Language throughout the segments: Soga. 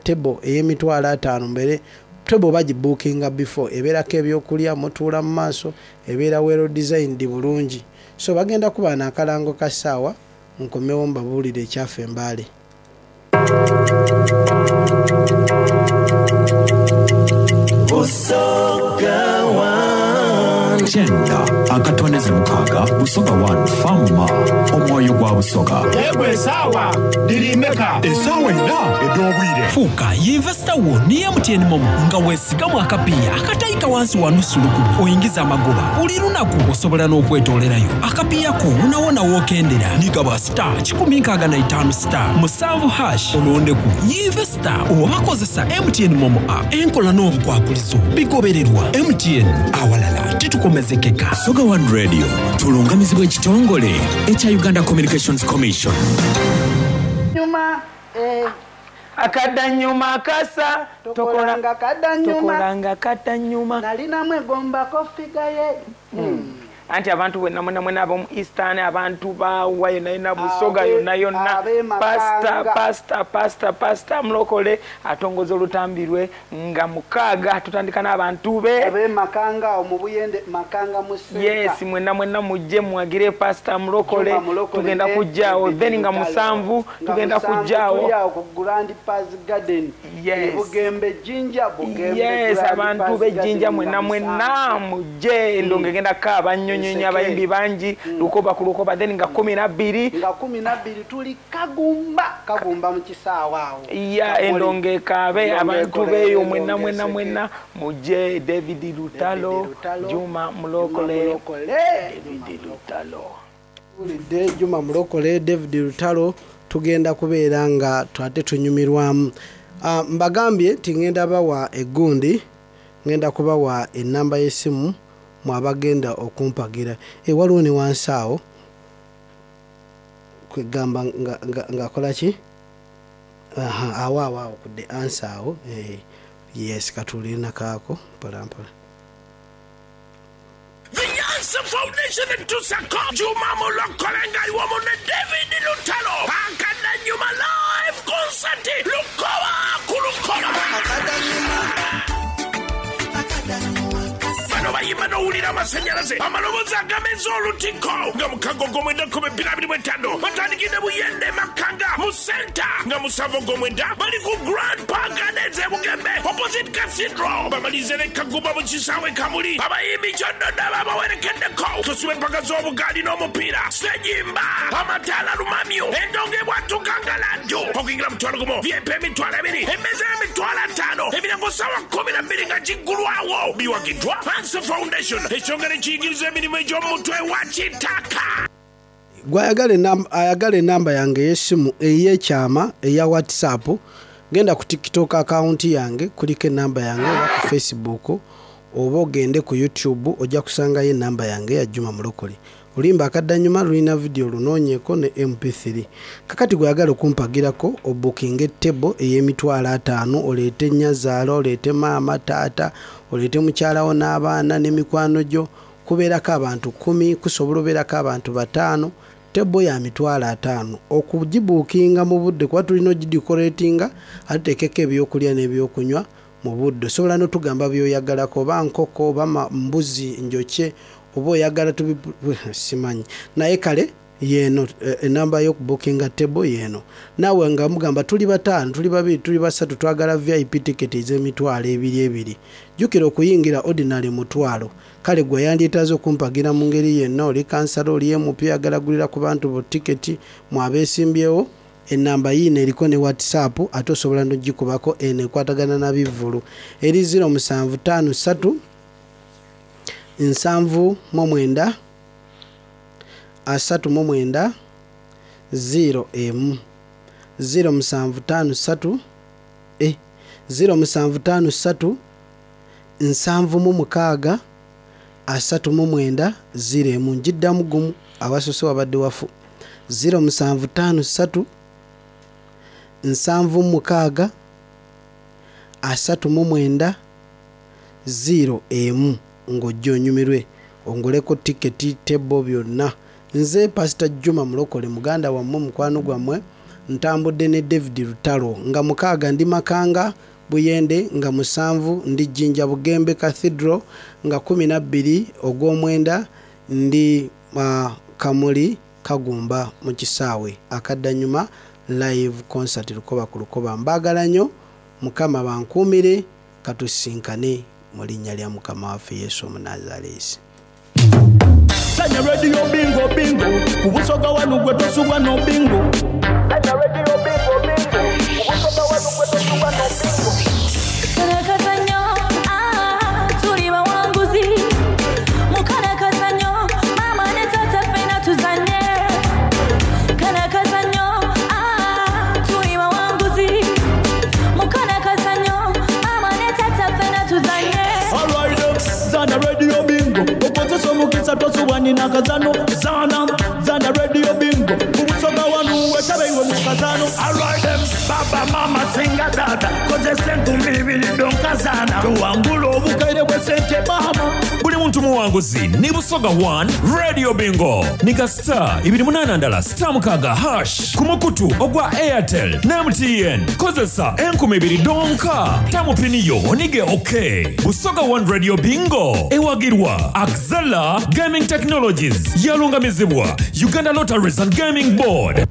Table ey'emitwalo ataano mubeere table bagibuukinga before ebeerako ebyokulya mutuula mu maaso ebeera well designed bulungi so bagenda kuba n'akalango ka ssaawa nkomewo mbabuulire ekyafa e Mbale. Busoga One. Kyenda akatondeze mukaaga Busoga One Farmer omwoyo gwa Busoga. Yegwe esaawa dhiri meka? Esaawa ina edh'obwire. Fuuka yinvesita wo ni MTN Momo nga wesigamu akapiiya akataika wansi wa nusu lukumi oingize amagoba buli lunaku. Osobola n'okwetoolerayo akapiiya ko wonawona w'okendera. Ni gaba star 165 star musanvu hash olondeku yinvesita oba kozesa MTN Momo app. Enkola n'obukwakulizo bigobererwa. MTN awalala titukomezekeka. Busoga One Radio tulungamizibwa ekitongole ekya Uganda Communications Commission. Nyuma eh. Akadda nyuma kasa tokolanga kadda nyuma tokolanga kadda nyuma nalina mwegombako figa ye Anti abantu bwena mwena mwena abomu Eastern abantu bawa yona yona Busoga yona yona pastor pastor pastor pastor mulokole atongoza olutambi lwe nga mukaaga tutandika n'abantu be abe Makanga awo mu Buyende Makanga mu center. Yes, mwena mwena mujje muwagire pastor mulokole, Juma Mulokole tugenda ne kujjaawo David then nga Lutalo. musanvu Nga tugenda musanvu kujjaawo tuli awo ku Grand Paz Garden. Yes. Bugembe Jinja, Bugembe Yes, Grand abantu Paz b'e Jinja Garden mwena nga mwena musanvu. mujje endongo egenda kaaba nnyo nnyo nnyo, Eseke. abayimbi bangi, lukoba ku lukoba, then nga 12. Nga 12 tuli Kagumba, Kagumba mu kisaawe awo. Ya, Kamuli. endongo ekaabe, Endongo abantu ekole, b'eyo endongo mwena mwena eseke. mwena mujje. David Lutalo, David Lutalo, Juma Mulokole, Juma Mulokole, David Lutalo. Tuwulidde Juma Mulokole, David Lutalo, tugenda kubeera nga ate tunyumirwamu. Mbagambye nti ngenda bawa eggundi, ngenda kubawa ennamba y'essimu mwabagenda okumpagira. Waliwo ne wansi awo kwegamba ng'akola ki? Aha, awo, awo, awo, ku the answer awo. Yes, katuulire nakaako mpola mpola. The Answer Foundation etusako Juma Mulokole nga ali wamu ne David Lutalo Akadanyuma live concert Lukoba ku Lukoba. Bano bayimba n'owulira amasanyalaze amaloboozi agameza olutiko nga mukago ogw'omwenda kumi bbiri abiri mu etaano batandikidde Buyende Makanga mu senta nga musanvu ogw'omwenda bali ku Grand Park Gardens e Bugembe opposite Cathedral bamalize ne Kagumba mu kisaawe Kamuli abayimbi kyonna babawerekeddeko tusiba empaka z'obugaali n'omupiira sejimba amataala lumamyo endongo ebwatuka nga laddu okuyingira mutwalo gumu VIP emitwalo ebiri emmeeza y'emitwalo ataano emiryango ssaawa 12 nga giggulwawo biwagiddwa Answer Foundation ekitongole ekiyigiriza emirimu egy'omutwe wa kitaka. Gwe ayagala enamba yange ey'essimu ey'ekyama eya WhatsApp, genda ku TikTok account yange kuliko enamba yange, oba ku Facebook, oba ogende ku YouTube ojja kusangayo enamba yange ya Juma Mulokole. Oluyimba Akaddanyuma lulina vidiyo lunoonyeeko ne MP3. Kakati gwe ayagala okumpagirako obukinge table ey'emitwalo ataano, oleete nnyazaala, oleete maama, taata, oleete mukyalawo n'abaana n'emikwano gyo, kubeerako abantu 10, kusobola obeerako abantu 5, table ya mitwalo ataano. Okugibuukinga mu budde kuba tulina ogidecoratinga, ate tuteekeko ebyokulya n'ebyokunywa mu budde. Osobola n'otugamba by'oyagalako, oba nkoko, oba mbuzi njokye, oba oyagala tubi simanyi. Naye kale yeeno enamba y'okubuukinga table yeeno. Naawe nga mugamba tuli 5, tuli 2, tuli 3, twagala VIP ticket ez'emitwalo ebiri ebiri. Jjukira okuyingira ordinary mutwalo. Kale gwe yandyetaaze okumpagira mu ngeri yenna, oli kansala, oli MP, oyagala gulira ku bantu bo tiketi mwabeesimbyewo, ennamba yiino eriko ne WhatsApp, ate osobola n'ogikubako eno ekwatagana na bivvulu. Eri ziro musanvu ttaano ssatu nsanvu mu mwenda asatu mu mwenda ziro emu. Ziro musanvu ttaano ssatu, ziro musanvu ttaano ssatu nsanvu mu mukaaga asatu mu mwenda ziro emu. Njiddamu gumu awasoose wabadde wafu. Ziro musanvu ttaano ssatu nsanvu mu mukaaga asatu mu mwenda ziro emu. Ng'ojja onyumirwe onguleko tiketi tebo byonna. Nze Pastor Juma Mulokole, muganda wammwe, mukwano gwammwe. ntambudde ne David Lutalo, nga mukaaga ndi Makanga Buyende, nga musanvu ndi Jinja Bugembe Cathedral, nga 12 Ogwomwenda ndi Kamuli Kagumba mu kisaawe Akaddanyuma live concert Lukoba ku Lukoba. Mbaagala nnyo, Mukama bankuumire, katusisinkane mu linnya lya Mukama waffe Yesu Omunaazaaleesi. Sanya radio bingo bingo ku Busoga wanu gwe tosubwa no bingo. Sanya radio bingo bingo ku Busoga wanu gwe tosubwa no bingo. Kalakazanyo, ah, tuli bawanguzi. Mukalakazanyo, maama ne taata ffenna tuzanye. Kalakazanyo, ah, tuli bawanguzi. Mukalakazanyo, maama ne taata ffenna tuzanye. Alright, zana radio bingo okozesa omukisa tosubwa nina kazano zana zana radio bingo ku Busoga wanu wetabe iwe mu kazano. Alright, baba mama singa dada kozesa enkumi ibiri donkazana tuwangula obukaire bw'esente mama. Buli muntu muwanguzi ni Busoga 1 Radio Bingo nika star ibiri munana ndala star mukaaga hash ku mukutu ogwa Airtel ne MTN kozesa enkumi ibiri donka tamupiniyo onige ok. Busoga 1 Radio Bingo ewagirwa Axela Gaming Technologies yalungamizibwa Uganda Lotteries and Gaming Board.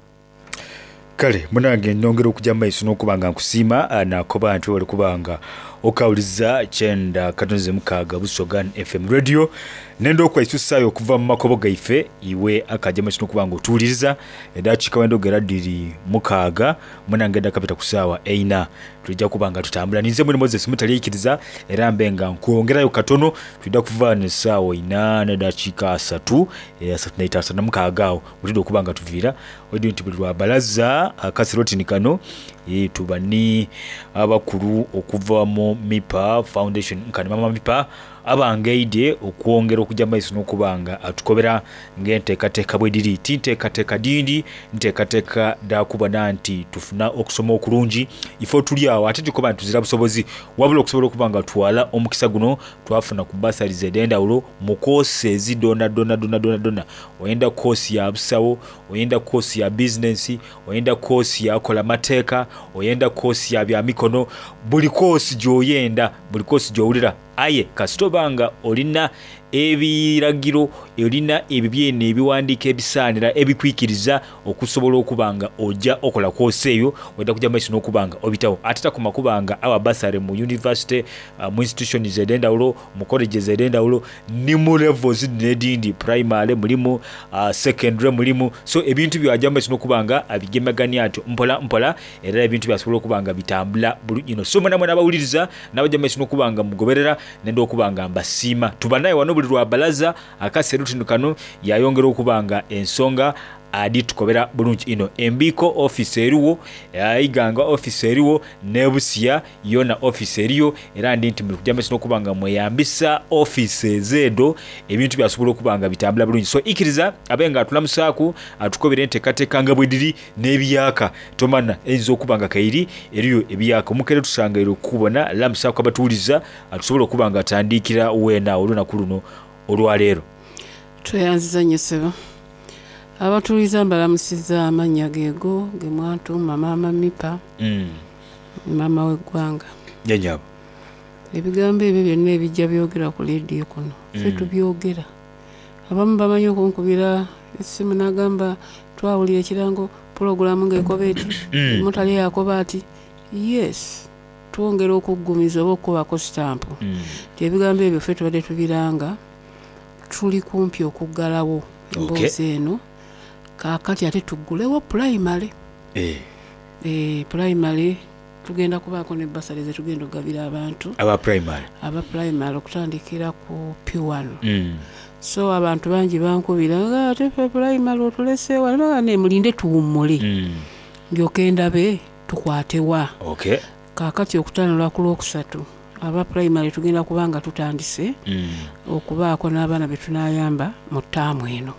Kale munange nongera okuja mu maiso n'okuba nga nkusiima nakoba nti webale kuba nga okawuliza 96 Busoga FM Radio. Nenda okweisusayo okuva mu makobo gaife iwe akaja mu maiso n'okuba nga otuwuliriza. Edhakiika wendhogera dhiri mukaaga munange edhakabita ku saawa eina. Twidha kuba nga tutambula. Ninze mwene Moses Mutalyeikiriza era mbe nga nkwongerayo katono. Twidha kuva ghano esaawa ina n'edhakiika asatu, asatu na itaanu, asatu na mukaaga agho wetwidha okuba nga tuviira. Oidhi nti buli lwa balaza akaseera oti ni kano tuba ni abakulu okuva mu Mipa Foundation nkani Maama Mipa aba nga aidhye okwongera okuja mu maiso n'okuba nga atukobera ng'enteekateeka bwedhiri. Ti nteekateeka dhindi, nteekateeka dha kubona nti tufuna okusoma okulungi. Ife tuli agho ate tikoba nti tuzira busobozi, wabula okusobola okuba nga twala omukisa guno twafuna ku bursaries edh'endhawulo mu courses dhoonadhoona dhoonadhoona. Oyenda course ya busawo, oyenda course ya bizinensi, oyenda course ya kola mateeka, oyenda course ya bya mikono, buli course gy'oyenda, buli course gy'owulira. Aye kasita oba nga olina ebiragiro, olina ebyo byene ebiwandiiko ebisaanira ebikwikiriza okusobola okuba nga oja okola koosi eyo, oidha kuja mu maiso n'okuba nga obitagho. Ate takoma kuba nga awa bursary mu yunivasite, mu institutions edh'endhawulo, mu colleges edh'endhawulo, ni mu levels dhino edhindi, primary mulimu, secondary mulimu. So ebintu byo aja mu maiso n'okuba nga abigemagania atyo mpola mpola, era ebintu byasobola okuba nga bitambula bulungi inho. So mwenamwena abawuliriza n'abaja mu maiso n'okuba nga mugoberera, nenda okuba nga mbasiima. Tuba naye wano buli lwa balaza, akaseera oti ni kano, yaayongera okuba nga ensonga adhitukobera bulungi inho. Embiiko ofiisi eriwo, Iganga ofiisi eriwo, n'e Busia yoona ofiisi eriyo, era ndi nti muli kuja mu maiso n'okuba nga mweyambisa ofiisi edho, ebintu byasobola okuba nga bitambula bulungi. So ikiriza abe nga atulamusaaku, atukobere enteekateeka nga bwedhiri n'ebiyaka. Tomanya eyinza okuba nga kairi eriyo ebiyaka. Omukeire tusangaire okukubona, lamusaaku abatuwuliza tusobole okuba nga atandiikira weena agho olunaku luno olwaleero. Tweyanziza nnyo ssebo. Abatuwuliza mbalamusiza amannya geego ge mwantuuma Maama Mipa, maama w'eggwanga. Ye nyabo. Ebigambo ebyo byonna ebijja byogerwa ku leediyo kuno ffe tubyogera. Abamu bamanyi okunkubira essimu n'agamba twawulira ekirango pulogulaamu ng'ekoba eti, Mutale yakoba ati. Yes, twongera okuggumiza oba okukubako sitampu nti ebigambo ebyo ffe tubadde tubiranga. Tuli kumpi okuggalagho emboozi eno. Kaakati ate tuggulewo pulayimale. Eeh, pulayimale tugenda kubaako ne bbasale ze tugenda okugabira abantu. Aba pulayimale? Aba pulayimale okutandikira ku P1. So abantu bangi bankubira nga ate ffe pulayimale otulese wa? Nabagamba nti mulinde tuwummule ndyoke ndabe tukwate wa. Kaakati okutanula ku Lwokusatu, aba pulayimale tugenda kuba nga tutandise okubaako n'abaana be tunaayamba mu ttaamu eno.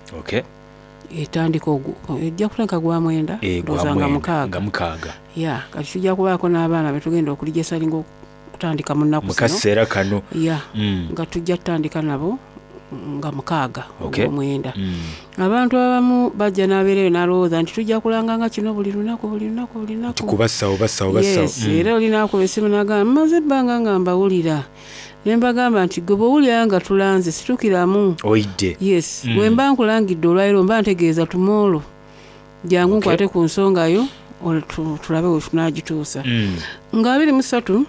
Etandika ogu, ejja kutandika gwa mwenda, ndowooza nga mukaaga. Nga mukaaga. Ya, kati tujja kubaako n'abaana be tugenda okulijesalinga okutandika mu nnaku Mu zino. kaseera kano. Ya, nga tujja kutandika nabo nga mukaaga ogwomwenda. Abantu abamu bajja n'abeera eyo n'alowooza nti tujja kulanga nga kino buli lunaku, buli lunaku, buli lunaku. Kubasawo, basawo, basawo. Yes, era oli n'akuba essimu n'agamba mmaze ebbanga nga mbawulira. Ne mbagamba nti ggwe bw'owulira nga tulanze situkiramu. Oidde. Yes, bwe mba nkulangidde olwaleero mba ntegeeza tomorrow. Jangu nkwate ku nsonga yo tulabe we tunaagituusa. Nga 23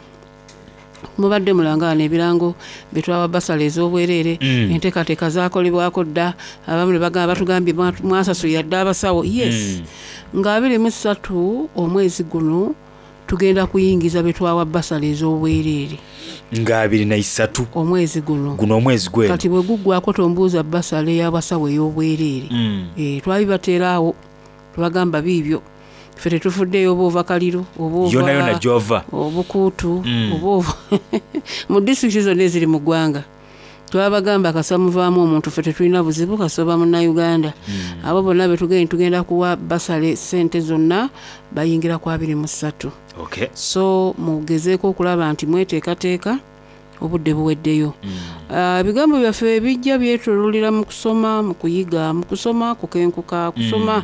mubadde mulanga wano ebirango bye twawa basale ez'obwereere, enteekateeka zaakolebwako dda, abamu ne bagamba batugambye mwasasulira dda abasawo. Yes. Nga 23 omwezi guno tugenda kuyingiza be twawa basale ez'obwereere. Nga 23 omwezi guno. Guno omwezi gwene. Kati bwe guggwako tombuuza basale y'abasawo ey'obwereere. Twabibateera awo, tubagamba biibyo. Ffe tetufuddeeyo oba ova Kaliro, oba ova Yona yona gy'ova. Obukuutu, oba ova mu disitulikiti zonna eziri mu ggwanga. Twabagamba kasa muvaamu omuntu ffe tetulina buzibu kasa oba Munnayuganda. Abo bonna be tugenda tugenda kuwa basale ssente zonna bayingira ku 23. So mugezeeko okulaba nti mweteekateeka obudde buweddeyo. Ebigambo byaffe bijja byetooloolera mu kusoma, mu kuyiga, mu kusoma, kukenkuka, kusoma.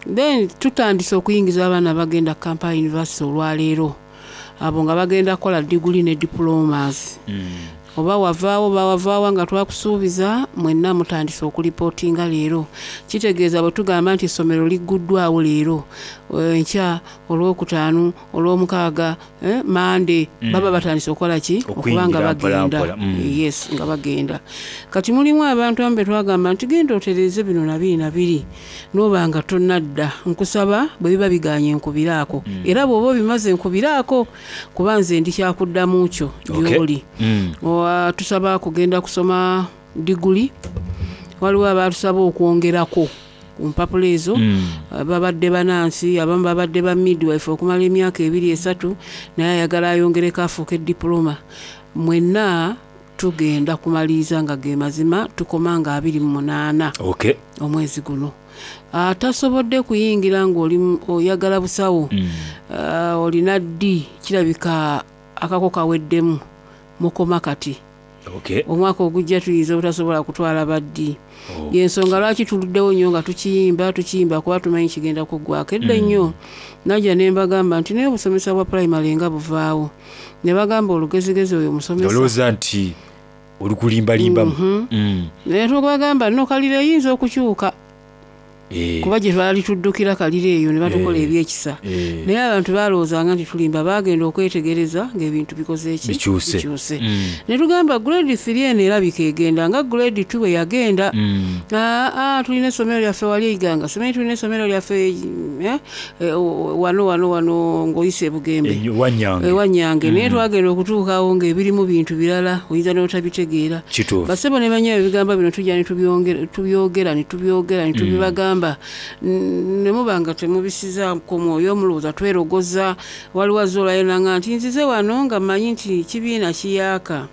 Then tutandise okuyingiza abaana abagenda Kampala University olwaleero. Abo nga bagenda kukola diguli ne diplomas. Oba wavaawo oba wavaawa nga twakusuubiza, mwenna mutandise okulipootinga leero. Kitegeeza bwe tugamba nti essomero ligguddwawo leero, enkya, olwokutaano, olwomukaaga, Mande, baba batandise okukola ki? Okuba nga Okuyingira mpola bagenda. mpola. Yes, nga bagenda. Kati mulimu abantu abamu be twagamba nti genda otereeze bino na biri na biri, n'oba nga tonnadda, nkusaba bwe biba bigaanye nkubiraako. Era bw'oba obimaze nkubiraako, kuba nze ndi kyakuddamu kyo gy'oli. Tusaba kugenda kusoma diguli, waliwo abatusaba okwongerako ku mpapula ezo. Babadde bannansi, abamu babadde ba midwife okumala emyaka 2 3, naye ayagala ayongereko afuuke diploma. Mwenna tugenda kumaliriza nga ge mazima, tukoma nga 28 omwezi guno. Atasobodde kuyingira ng'oli oyagala busawo, olina ddi kirabika akako kaweddemu, mukoma kati. Omwaka ogujja tuyinza obutasobola kutwala baddi. Y'ensonga lwaki tuluddewo nnyo nga tukiyimba, tukiyimba kuba tumanyi kigenda kuggwako. Edda nnyo najja ne mbagamba nti naye obusomesa bwa pulayimale nga buvaawo. Ne bagamba olugezigezi oyo musomesa. Olowooza nti oli kulimbalimbamu. Naye tubagamba nno kalira eyinza okukyuka. Kuba gye twali tuddukira kalira eyo ne batukola ebyekisa. Naye abantu balowoozanga nti tulimba, baagenda okwetegereza ng'ebintu bikoze ki? Bikyuse. Bikyuse. Ne tugamba grade 3 eno erabika egenda nga grade 2 bwe yagenda. Tulina essomero lyaffe wali e Iganga, simanyi tulina essomero lyaffe, wano, wano, wano ng'oyise e Bugembe. Wanyange. Wanyange. Naye twagenda okutuukawo ng'ebirimu bintu birala, oyinza n'otabitegeera. Basebo ne bannyaabwe ebigambo bino tujja ne tubyogera, ne tubyogera, ne tubibagamba. Ne muba nga temubisizaako mwoyo, mulowooza twerogoza. Waliwo azze olwaleero n'aŋŋamba nti nzize wano nga mmanyi nti kibiina kiyaaka.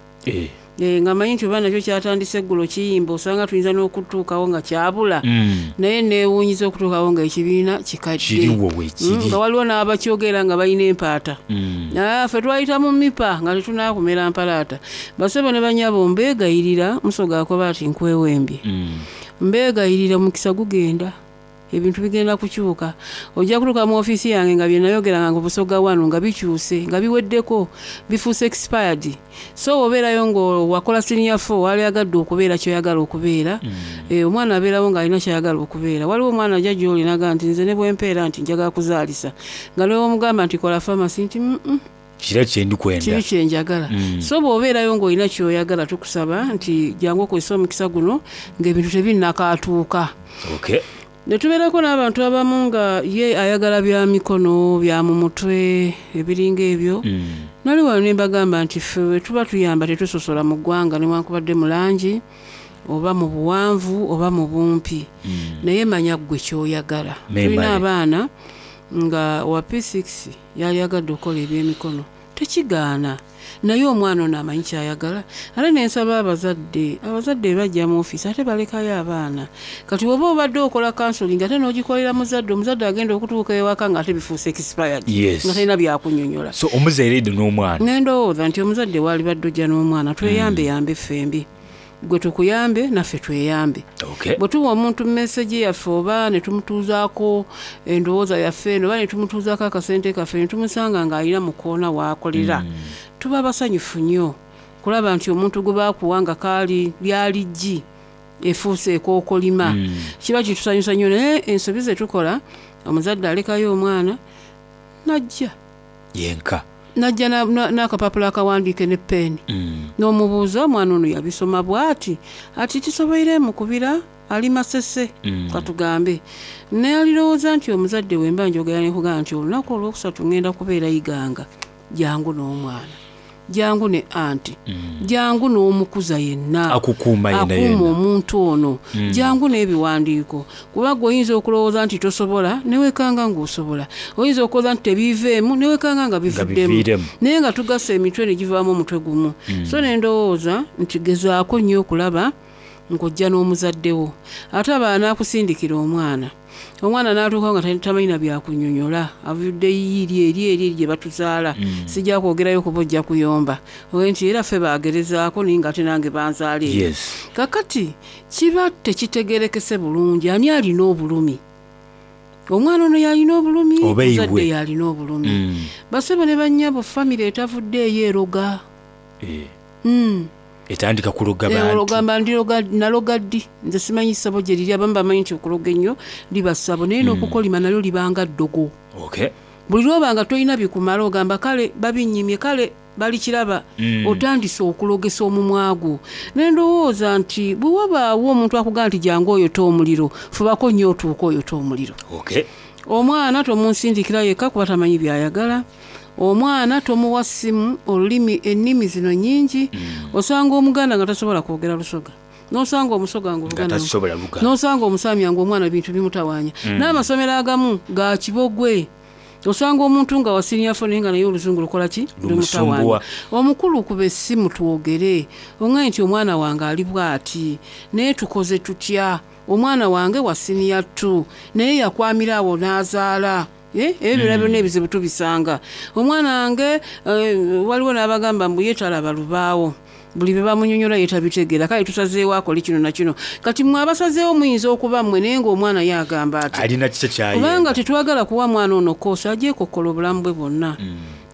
Nga mmanyi nti oba nakyo kyatandise eggulo kiyimba, osanga tuyinza n'okutuukawo nga kyabula. Naye neewuunyiza okutuukawo ng'ekibiina kikadde. Kiriwo weekiri. Nga waliwo n'abakyogera nga balina empaata. Ffe twayita mu mipa nga tetunaakumera mpalaata. Basebo ne bannyabo mbeegayirira, Musoga akoba ati nkwewembye. Mbeegayirira omukisa gugenda. Ebintu bigenda kukyuka. Ojja kutuuka mu ofiisi yange nga bye nayogeranga nga Busoga wano nga bikyuse, nga biweddeko, bifuuse expired. So obeerayo ng'owakola senior 4, waali agadde okubeera ky'oyagala okubeera. Omwana abeerawo ng'alina ky'ayagala okubeera. Waliwo omwana ajja gy'oli n'agamba nti nze ne bwe mpeera nti njagala kuzaalisa. Nga ne bw'omugamba nti kola pharmacy nti Kira kye ndi kwenda. Kiri kye njagala. So bw'obeerayo ng'olina ky'oyagala, tukusaba nti jangu okozese omukisa guno ng'ebintu tebinnakaatuuka. Ne tubeerako n'abantu abamu nga ye ayagala bya mikono, bya mu mutwe, ebiringa ebyo. Nali wano ne mbagamba nti ffe bwe tuba tuyamba tetusosola mu ggwanga newankubadde mu langi, oba mu buwanvu, oba mu bumpi. Naye manya ggwe ky'oyagala. Tulina abaana nga wa P6 yali agadde okukola ebyemikono, tekigaana. Naye omwana ono amanyi ky'ayagala. Ate ne nsaba abazadde, abazadde bajja mu ofiisi ate balekayo abaana. Kati bw'oba obadde okola counseling ate n'ogikolera muzadde, omuzadde agenda okutuuka ewaka ng'ate bifuuse expired. Nga talina byakunnyonnyola. So omuzaire edde n'omwana. Ne ndowooza nti omuzadde waalibadde ojja n'omwana, tweyambe yambe ffembi. Gwe tukuyambe naffe tweyambe. Okay. Bwe tuwa omuntu meseji yaffe oba ne tumutuuzaako endowooza yaffe eno oba ne tumutuuzaako akasente kaffe ne tumusanga ng'alina mu koona w'akolera, tuba basanyufu nnyo kulaba nti omuntu gwe baakuwa nga kaali lyali ggi efuuse ekookolima. Kiba kitusanyusa nnyo naye ensobi ze tukola omuzadde alekayo omwana n'ajja. Yenka. N'ajja n'akapapula akawandiike ne ppeeni. N'omubuuza omwana ono yabisoma bw'ati? Ati tisoboire mukubira ali Masese katugambe. Naye alirowooza nti omuzadde wemba njogera ne nkugamba nti olunaku olwokusatu ŋŋenda kubeera Iganga, jangu n'omwana, jangu ne anti, jangu n'omukuza yenna Akukuuma yenna yenna. akuuma omuntu ono, jangu n'ebiwandiiko, kuba gwe oyinza okulowooza nti tosobola ne weekanga ng'osobola, oyinza okulowooza nti tebiiveemu ne weekanga nga bivuddemu, biviiremu. naye nga tugassa emitwe ne givaamu omutwe gumu. So ne ndowooza nti gezaako nnyo okulaba ng'ojja n'omuzadde wo, ate abalala n'akusindikira omwana, omwana n'atuuka nga tamanyi na byakunnyonnyola, avudde yiiri eri eri eri gye batuzaala, sijja kwogerayo kuba ojja kuyomba, oge nti era ffe baagerezaako naye ng'ate nange banzaala eyo. Kakati kiba tekitegeerekese bulungi ani alina obulumi, omwana ono y'alina obulumi, Oba iwe. omuzadde y'alina obulumi. Basebo ne bannyabo, famire etavuddeeyo eroga. Etandika kuloga bantu. Ologamba ndiroga, naloga ddi? Nze simanyi ssabo gye liri, abamu bamanyi nti okuloga ennyo liba ssabo, naye n'okukolima nalyo libanga ddogo. Buli lw'oba nga tolina bikumala ogamba kale babinnyimye, kale balikiraba, otandise okulogesa omumwa gwo. Ne ndowooza nti bwe wabaawo omuntu akugamba nti jangu oyote omuliro, fubako nnyo otuuke oyote omuliro. Omwana tomunsindikira yekka kuba tamanyi by'ayagala. Omwana tomuwa ssimu, olulimi, ennimi zino nnyingi. Osanga Omuganda nga tasobola kwogera Lusoga, n'osanga Omusoga nga Oluganda tasobola Luganda. n'osanga Omusamya ng'omwana bintu bimutawaanya. N'amasomero agamu ga kibogwe, osanga omuntu nga wa senior four naye nga naye oluzungu lukola ki? Lumusumbuwa. Lumutawaanya. Omukulu kuba essimu twogere, oŋŋaye nti omwana wange ali bw'ati, naye tukoze tutya? Omwana wange wa senior 2 naye yakwamira awo n'azaala. Ebyo byonna byonna ebizibu tubisanga. Omwana wange, waliwo n'abagamba mbu ye talaba lubaawo, buli bye bamunyonyola ye tabitegeera, kale tusazeewo akole kino na kino. Kati mmwe abasazeewo muyinza okuba mmwe, naye ng'omwana ye agamba ati alina kiki ky'ayenda. Kubanga tetwagala kuwa mwana ono koosi agyekokkola obulamu bwe bwonna.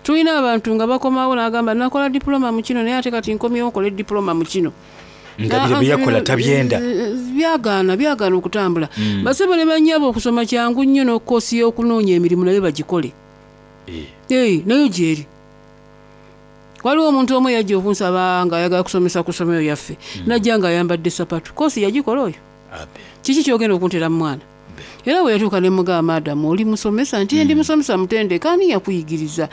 Tulina abantu nga bakomawo n'agamba nakola diploma mu kino, naye ate kati nkomyewo nkole diploma mu kino. Nga bino bye yakola tabyenda. Byagaana okutambula. Basebo ne bannyabo, okusoma kyangu nnyo, n'okoosi y'okunoonya emirimu nayo bagikole. Nayo gy'eri. Waliwo omuntu omu yajja okunsaba ng'ayagala kusomesa ku ssomero lyaffe, n'ajja ng'ayambadde ssapatu. Koosi yagikola oyo. Kiki ky'ogenda okuntera mu mwana? Era bwe yatuuka ne mugamba, madamu oli musomesa? Nti ndi musomesa mutendeke, ani yakuyigiriza?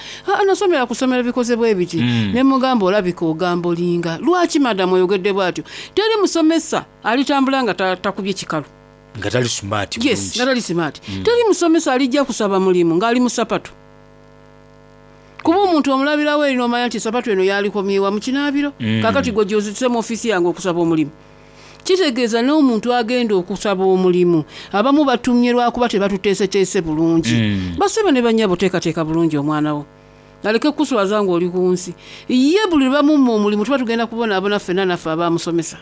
Nasomera ku ssomero bikoze bwe biti. Ne mugamba olabika ogamba olinga. Lwaki madamu oyogedde bw'atyo? Teri musomesa alitambula nga takubye kikalu. Nga tali smart Yes, bulungi. nga tali smart. Teri musomesa alijja kusaba mulimu ng'ali mu ssapatu. Kuba omuntu omulabirawo eri n'omanya nti ssapatu eno yalikomyewa mu kinaabiro. Kaakati gwe gy'ozituse mu ofiisi yange okusaba omulimu. Kitegeeza n'omuntu agenda okusaba omulimu abamu batumye lwakuba tebatuteeseteese bulungi. Basebo ne bannyabo, teekateeka bulungi omwana wo, aleke kukuswaza ng'oli ku nsi. Ye buli lwe bamumma omulimu tuba tugenda kubonaabona ffenna naffe abamusomesa.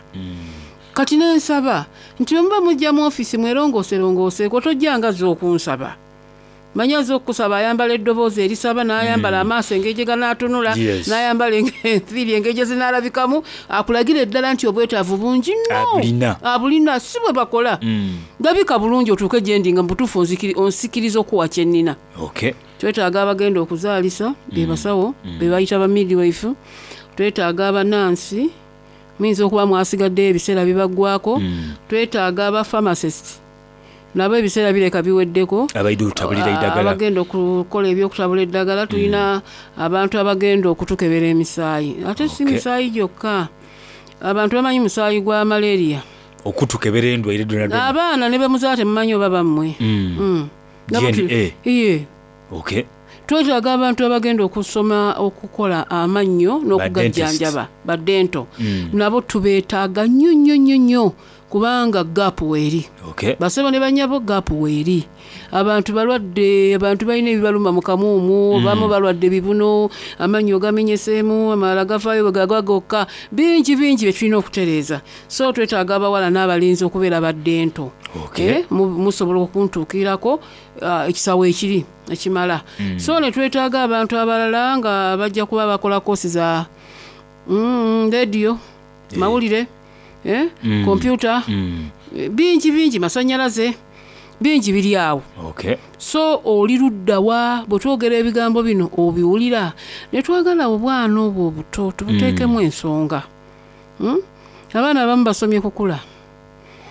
Kati ne nsaba nti bwe muba mujja mu ofiisi mwerongooserongooseeko, tojja nga zze okunsaba. Manya azze okukusaba ayambala eddoboozi erisaba, n'ayambala amaaso engeri gye ganaatunula, n'ayambala enviiri engeri gye zinaalabikamu, akulagira eddala nti obwetaavu bungi nno. Abulina. Abulina, si bwe bakola. Ndabika bulungi otuuke gye ndi nga mu butuufu onsikiriza okuwa kye nnina. Twetaaga abagenda okuzaalisa, be basawo, be bayita ba midwife. Twetaaga abanansi, muyinza okuba mwasigaddeyo ebiseera bibaggwako. Twetaaga aba pharmacist, nabo ebiseera bireka biweddeko. Abaidde okutabulira eddagala. Abagenda okukola ebyokutabula eddagala. Tulina abantu abagenda okutukebera emisaayi, ate si misaayi gyokka. Abantu bamanyi musaayi gwa malaria. Okutukebera endwaire dona dona. Abaana ne bemuzaala temumanyi oba bammwe. Nabo DNA. Iye. Twetaaga abantu abagenda okusoma okukola amannyo n'okugajjanjaba, badento. Nabo tubeetaaga nnyo nnyo nnyo nnyo. Kubanga gap weeri. Okay. Basebo ne banyabo gap weeri. Abantu balwadde, abantu balina ebibaluma mu kamuumu, abamu balwadde bibuno, amannyo gamenyeseemu, amalala gavaayo bwe gagwa gokka. Bingi bingi bye tulina okutereeza. So twetaaga abawala n'abalenzi okubeera ba dento. Okay. Eh, musobola okuntuukirako ekisaawe ekiri ekimala. So ne twetaaga abantu abalala nga bajja kuba bakola koosi za radio, mawulire, kompyuta, bingi bingi, masannyalaze, bingi biri awo. Okay. So oli ludda wa bwe twogera ebigambo bino obiwulira ne twagala obwana obwo obuto tubuteekemu ensonga. Abaana abamu basomye kukula.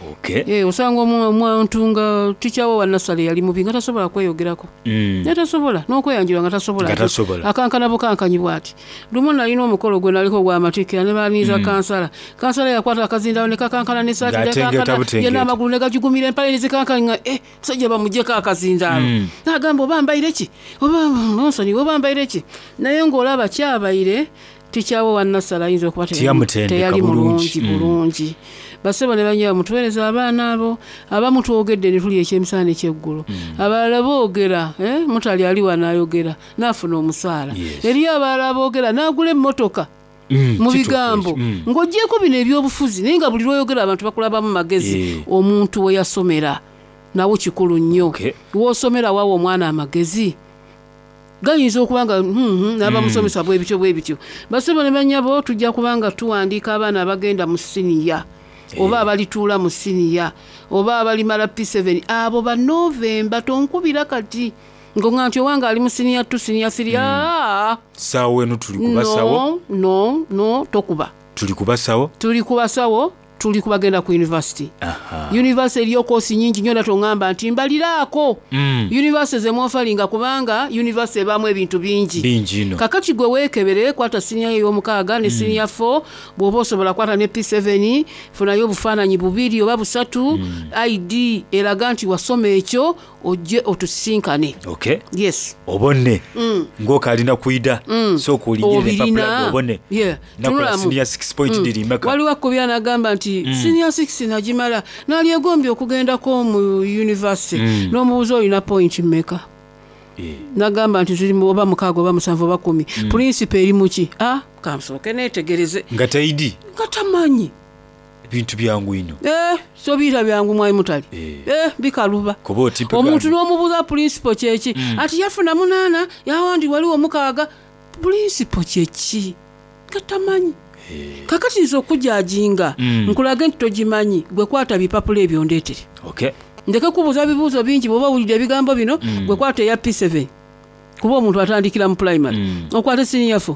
Okay. Osanga omuntu nga tikyawo wa nasale yali mubi nga tasobola kweyogerako. Naye tasobola n'okweyanjula nga tasobola. Nga tasobola. Akankana bukankanyi bw'ati. Lumu nalina omukolo gwe naliko gw'amatikkira ne baaniriza kansala. Kansala yakwata akazindaalo ne kakankana n'essaati Ng'atengeeta ne kankana, butengeeta. yenna amagulu ne gajugumira empale ne zikankana nga, musajja bamuggyeko akazindaalo. N'agamba oba mbaire ki? Oba nsonyiwe oba mbaire ki? Naye ng'olaba kyabaire tikyawo wa nasale ayinza okuba Teyamutendeka teyali bulungi. mulungi bulungi. Basebo ne bannyabo mutuweereze abaana abo, abamu twogedde ne tulya ekyemisana n'ekyeggulo. Abalala boogera, mutali ali wano ayogera, n'afuna omusaala. Yes. Eriyo abalala boogera n'agula emmotoka. Mu Kituufu bigambo. ekyo. Ng'oggyeeko bino ebyobufuzi, naye nga buli lw'oyogera abantu bakulabamu magezi. Omuntu we yasomera nawo kikulu nnyo. Okay. W'osomera wawa omwana amagezi. Gayinza okuba nga, n'abamusomesa bwe bityo bwe bityo. Basebo ne bannyabo tujja kuba nga tuwandiika abaana abagenda mu siniya. Oba abalituula mu siniya, oba abalimala P7, abo ba Novemba tonkubira kati. Ng'oŋŋamba nti owange ali mu siniya 2, siniya 3, Ssaawa eno tuli ku basawo. No, no, no, tokuba. Tuli ku basawo. Tuli ku basawo, tuli ku bagenda ku university. University eriyo koosi nnyingi nnyo era toŋŋamba nti mbaliraako. University ze mwofalinga kubanga university ebaamu ebintu bingi. Bingi nno. Kakati gwe weekebere, kwata siniya ey'omukaaga ne siniya 4, bw'oba osobola kwata ne P7, funayo obufaananyi bubiri oba busatu, ID eraga nti wasoma ekyo, ojje otusisinkane. Okay. Yes. Obone. Ng'okalina kuyida. Sooka olingirire Obirina. empapula obone. Yeah. Nakola Tunulamu. siniya 6 point diri mmeka. Waliwo akubira n'agamba nti siniya 6 nagimala, nalyegombye okugendako mu university. N'omubuuza olina point mmeka? N'agamba nti ziri mu oba 6 oba 7 oba 10. Principal eri mu ki? Kansooke neetegereze. Nga tayidi. Nga tamanyi. Ebintu byangu ino. So biyita byangu mwali mutali. Bikaluba. Kuba otipe Omuntu gani. n'omubuuza principal kyeki? Ati yafuna 8, yawandi waliwo 6. Principal kyeki? Nga tamanyi. Kakati nze okujajinga, nkulage nti togimanyi, gwe kwata bipapula ebyo ndeetere. Okay. Ndeke kubuuza bibuuzo bingi bw'oba owulidde ebigambo bino, gwe kwata eya P7. Kuba omuntu atandikira mu primary. Okwate senior 4.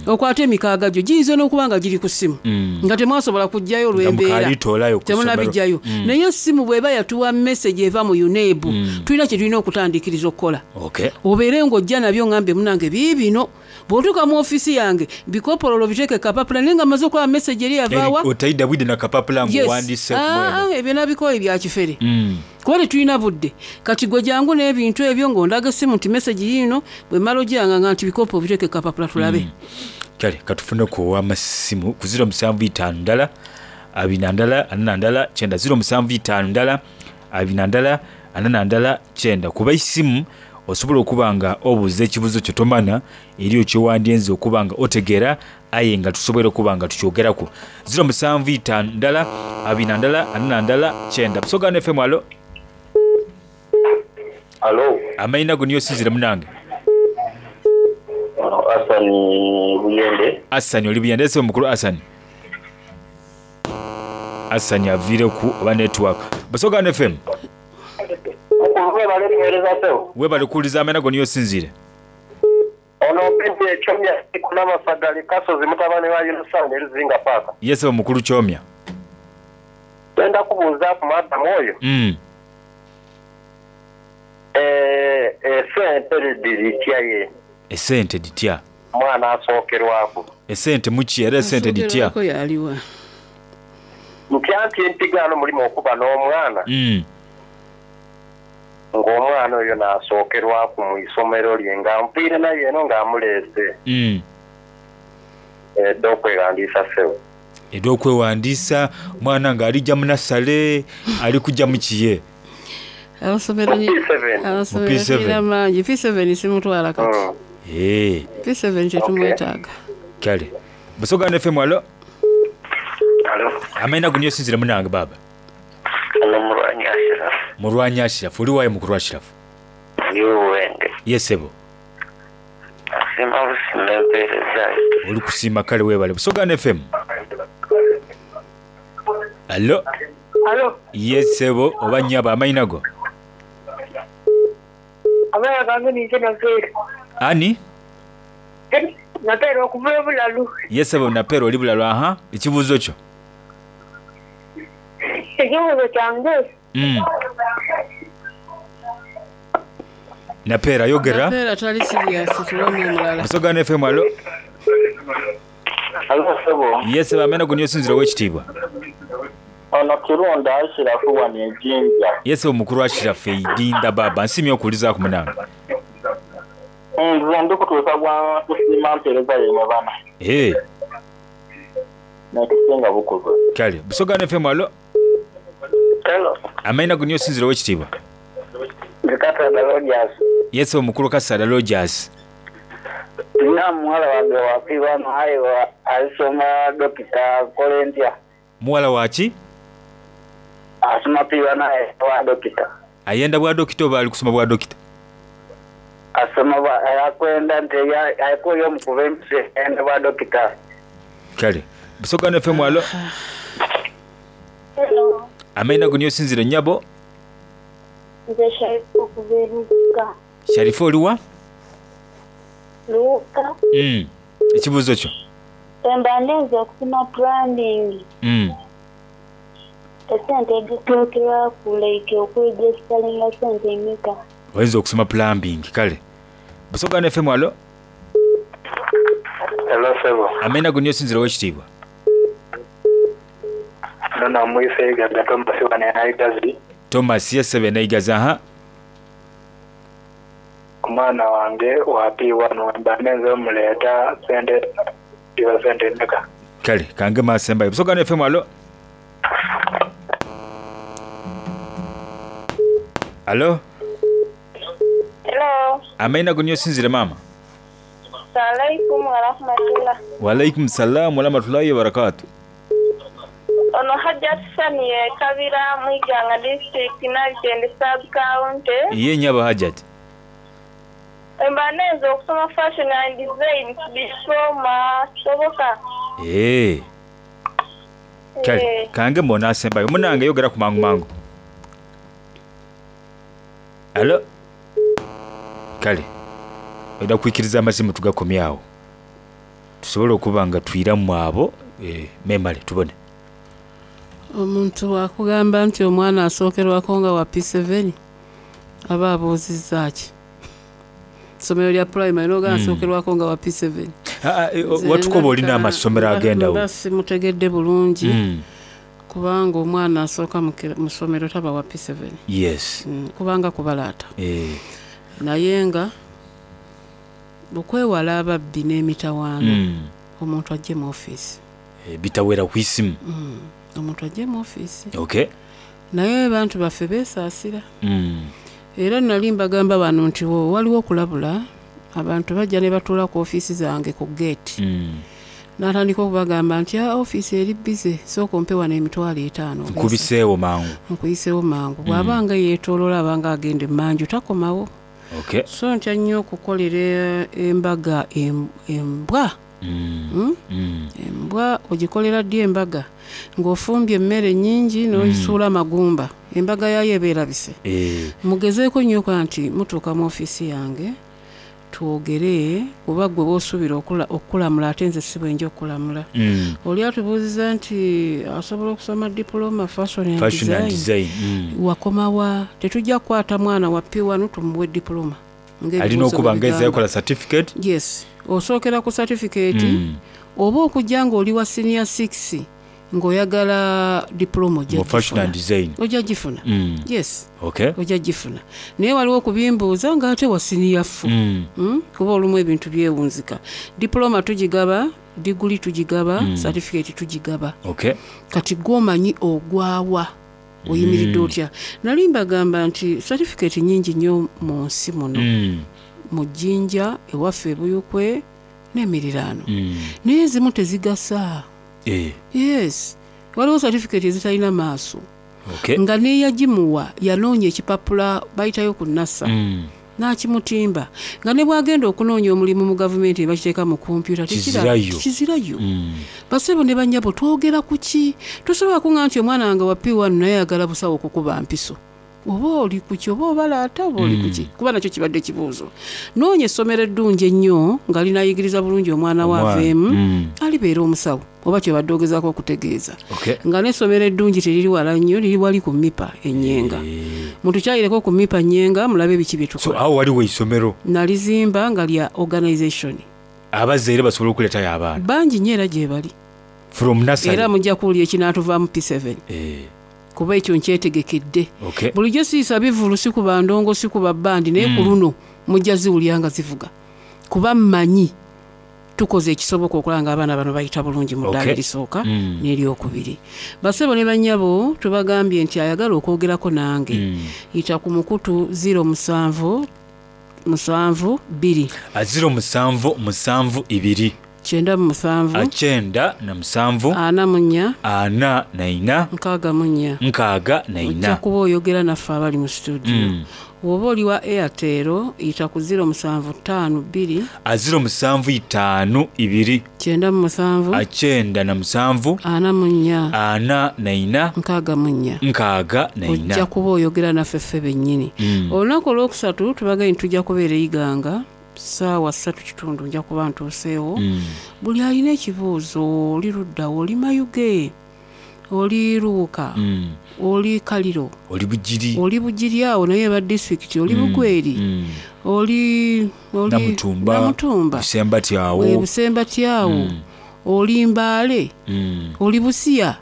Okwate emikaaga gyo, giyinza n'okuba nga giri ku ssimu. Nga temwasobola kuggyayo Nga olw'embeera. mukaali toolayo ku Temunabiggyayo. ssomero. Naye essimu bw'eba yatuwa message eva mu UNEB, tulina kye tulina okutandikiriza okukola. Okay. Obeere ng'ojja nabyo ngambe munange biibino. Bw'otuuka mu ofiisi yange, bikopololo biteeke kapapula, naye nga mmaze okulaba message eri yavaawa. Eri, otayidda bwidde na kapapula Yes. ng'owandiise ku mweno. Ebyo nabikooye bya kifere. Kuba tetulina budde. Kati gwe jangu n'ebintu ebyo ng'ondaga essimu nti message yiino, bwe mmala ogyanga nga nti bikopo biteeke kapapula tulabe. Kale katufuneko ow'amasimu ku ziro musanvu itaano ndala, abiri na ndala, ana na ndala, kyenda. Ziro musanvu itaano ndala, abiri na ndala, ana na ndala, kyenda. Kuba esimu osobola okuba nga obuuza ekibuuzo kyo tomana eri okyewandyenze okuba nga otegeera, aye nga tusobola okuba nga tukyogeraku. Ziro musanvu itaano ndala, abiri na ndala, ana na ndala, kyenda. Busoga FM, alo. Alo. Amayina go niyo osinzire munange. Ono Asani Buyende. Asani oli Buyende, ese mukulu Asani. Asani aviireku oba network. Busoga FM. Mukulu webale kuweereza ssebo. Webale kuwuliza amayina go niyo osinzire. Ono Pimpi Ekyomya Kunamasagali Kasozi mutabani wa Yunusa ne Luzinga Paaka. Ye ssebo mukulu Kyomya. Genda kubuuza ku madamu oyo. Esente ditya ye? Esente ditya? Mwana asookerwako. Esente muki era esente ditya? Asookerwako yaliwa. Ntya nti empigaano mulimu okuba n'omwana. Ng'omwana oyo n'asookerwako mu isomero lye nga nfiire naye eno ng'amuleese. Edda okweghandiisa ssebo. Edh'okwewandiisa, omwana nga alija mu nasale, ali kuja mu kiye. Amasomero Mu ni P7. Mu amasomero P7. tulina mangi. P7 simutwala kati. Eeh. P7 tetumwetaaga. Kale. Busoga One FM, alo. Alo. Amaina go ni osinzire munange baaba? Ono Mulwanyi Ashiraf. Mulwanyi Ashiraf. Oli wayi mukulu Ashiraf? Ndi Buwenge. Ye sebo. Nsiima busiima empeereza yo. Oli kusiima kale webale. Busoga One FM. Alo. Alo. Ye sebo oba nyabo amaina go? Amaina gange ninze Napeera. Ani? Napeera okuva e Bulalu. Ye sebo Napeera oli Bulalu aha. Ekibuuzo kyo? Ekibuuzo kyange. Mm. Napeera yogera. Napeera tali serious tuwemu omulala. Busoga One FM alo. Alo sebo. Ye sebo amena go niyo sinzira owekitiibwa. Ono Kirunda Ashirafu wano e Jinja. Ye sebo mukulu Ashirafu e Idinda baaba nsimye okuwulizaaku munange. Nze ndi kutuusa gwa kusiima mpeereza yaimwe bana. Eeh. Netusinga bukuza. Kale Busoga One FM alo. Hello. Amaina go niyo sinzira owekitiibwa. Nze Kasaadha Rogers. Ye sebo mukulu Kasaadha Rogers. Nina mughala wange wa P1 aye alisoma dokita nkole ntya? Mughala wa ki? Asoma P1 aye wa dokita. Ayenda bwa dokita oba ali kusoma bwa dokita? Asoma bwa akwenda nti akoye omukuba empiso ayenda bwa dokita. Kale. Busoga One FM alo. Hello. Amaina go niyo osinzire nyabo? Nze Sharifa okuva e Luuka. Sharifa oli wa? Luuka. Mm. Ekibuuzo kyo? Bwemba ndenze okusoma plumbing, Mm. esente edhisookerwaku like okuregisitaringa sente imeka? Oyinza okusoma plumbing kale. Busoga One FM alo. Hello sebo. Amaina go niyo osinzire owekitiibwa? Nona mwise Igaga Thomas wano e Naigazi. Thomas ye ssebo e Naigazi aha. Omwana wange wa P1 wemba ndenze omuleeta sente dhiba sente meka? Kale kangeme asembayo. Busoga One FM alo. Alo. Hello. Amaina go niyo osinzire maama? Salaikum warahmatullah. Walaikum salam warahmatullahi wabarakatuh. Ono Hajjat Sania e Kabira mu Iganga district Nalitendi sub county. Ye nyabo Hajjat. Mba nenze okusoma fashion and design diploma kisoboka? Eeh. Kale kange mbone asembayo. Munange yogeraku mangu mangu. Alo. Kale oidha kwikiriza amasimu tugakomye agho tusobole okuba nga twiramu abo memale tubone. Omuntu akugamba nti omwana asookerwako nga wa P7 aba abuuzizza ki? Ssomero lya pulayimale n'ogamba asookerwako nga wa P7. Watukoba oli n'amasomero ag'endhawulo. Mba simutegedde bulungi kubanga omwana asooka mu ssomero taba wa P7. Yes. Kubanga kubalaata. Naye nga okwewala ababbi n'emitawaana omuntu ajje mu ofiisi. Bitawera ku isimu. Omuntu ajje mu ofiisi. Okay. Naye bantu baffe beesaasira. Era nali mbagamba bano nti waliwo okulabula abantu bajja ne batuula ku ofiisi zange ku gate. Natandika okubagamba nti ofiisi eri busy sooka ompe wano 50,000. Nkubiseewo mangu. Nkuyiseewo mangu. Bw'aba nga yeetooloola aba nga agenda emmanju takomawo. Okay. So ntya nnyo okukolera embaga embwa. Embwa ogikolera ddi embaga? Ng'ofumbye emmere nnyingi n'osuula amagumba. Embaga yaayo eba erabise. Mugezeeko nnyo okuba nti mutuuka mu ofiisi yange twogere kuba ggwe bw'osuubira okukulamula ate nze si bwe nja okukulamula. Oli atubuuziza nti asobola okusoma diploma fashion and Fashion and design. design. Wakoma wa? Tetujja kukwata mwana wa P1 tumuwe diploma. Alina okuba nga ezze yakola certificate. Yes. Osookera ku certificate oba okujja ng'oli wa senior 6 Ng'oyagala diploma ojja Mu fashion gifuna. and design. Ojja gifuna. Yes. Okay. Ojja gifuna. Naye waliwo okubimbuuza ng'ate wa siniya fo. Kuba olumu ebintu byewunzika. Diploma tugigaba, diguli tugigaba, certificate tugigaba. Okay. Kati gw'omanyi ogwawa oyimiridde otya? Nali mbagamba nti certificate nnyingi nnyo mu nsi muno. Mu Jinja, ewaffe e Buyukwe n'emiriraano. Naye ezimu tezigasa. Yes. Waliwo certificate ezitalina maaso. Okay. Nga n'eyagimuwa yanoonya ekipapula bayitayo ku NASA. N'akimutimba. Nga ne bw'agenda okunoonya omulimu mu gavumenti ne bakiteeka mu kompyuta, Kizirayo. Kizirayo. Basebo ne bannyabo twogera ku ki? Tosobola kuŋŋamba nti omwana wange wa P1 naye ayagala busawo okukuba mpiso. Oba oli ku ki, oba obalaata, oba oli ku ki? Kuba nakyo kibadde kibuuzo. Noonya essomero eddungi ennyo nga linaayigiriza bulungi omwana we Omwana. aveemu, alibeera omusawo, oba ky'obadde ogezaako okutegeeza. Okay. Nga n'essomero eddungi teriri wala nnyo, liri wali ku MIPA e Nyenga. Mutukyayireko ku MIPA Nyenga mulabe biki bye So tukola. awo waliwo eisomero. Nalizimba nga lya organization. Abazaire basobola okuleetayo abaana. Bangi nnyo era gye bali. From nursery. Era mujja kuwulira ekinaatuvaamu P7. Kuba ekyo nkyetegekedde. Okay. Bulijjo siisa bivvulu, sikuba ndongo, sikuba bbandi, naye ku luno mujja ziwulira nga zivuga. Kuba mmanyi tukoze ekisoboka okulaba ng'abaana bano bayita bulungi mu ddaala erisooka n'eryokubiri. Basebo ne bannyabo tubagambye nti ayagala okwogerako nange yita ku mukutu 07 7 2 07 7 2 97 97 44 44 64 64. Ojja kuba oyogera naffe abali mu studio. Bw'oba oli wa Airtel yita ku 0752 07 52 97 97 44 44 64. 64. Ojja kuba oyogera naffe ffe bennyini. Olunaku olwokusatu tubagambye nti tujja kubeera e Iganga ssaawa 3:15 nja kuba ntuuseewo. Buli alina ekibuuzo, oli luddawo, oli Mayuge, oli Luuka, oli Kaliro, oli Bugiri, oli Bugiri awo naye eba disitulikiti, oli Bugweri, oli oli Namutumba, Namutumba, Busembati awo. Busembati awo, oli Mbaale, oli Busia,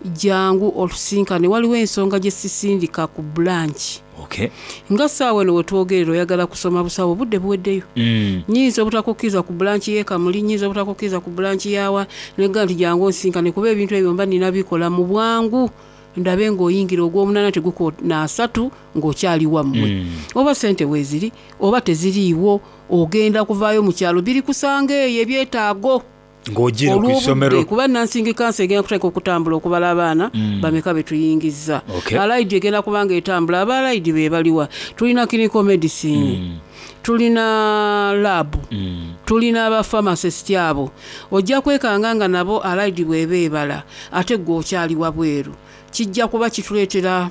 jangu otusinkane. Waliwo ensonga gye sisindika ku branch. Okay. Nga ssaawa eno we twogerera oyagala kusoma busawo, obudde buweddeyo. Nnyinza obutakukkiriza ku branch y'e Kamuli, nnyinza obutakukkiriza ku branch y'awa, ne nti jangu onsinkane kuba ebintu ebyo mba nnina bikola mu bwangu. Ndabe ng'oyingira ogw'omunaana teguko n'asatu ng'okyali wammwe. Oba ssente weeziri oba teziriiwo, ogenda kuvaayo mu kyalo biri kusanga eyo ebyetaago. Ng'ogiire ku Olw'obudde, isomero. kuba Nansingi Kansa egenda kutandika okutambula okubala abaana bameka be tuyingizza. Okay. Alaidi egenda kuba ng'etambula, aba Alaidi be baliwa. Tulina clinical medicine, tulina lab, tulina aba pharmacist abo. Ojja kwekanga nga nabo Alaidi bw'eba ebala ate ggwe okyali wabweru. Kijja kuba kituleetera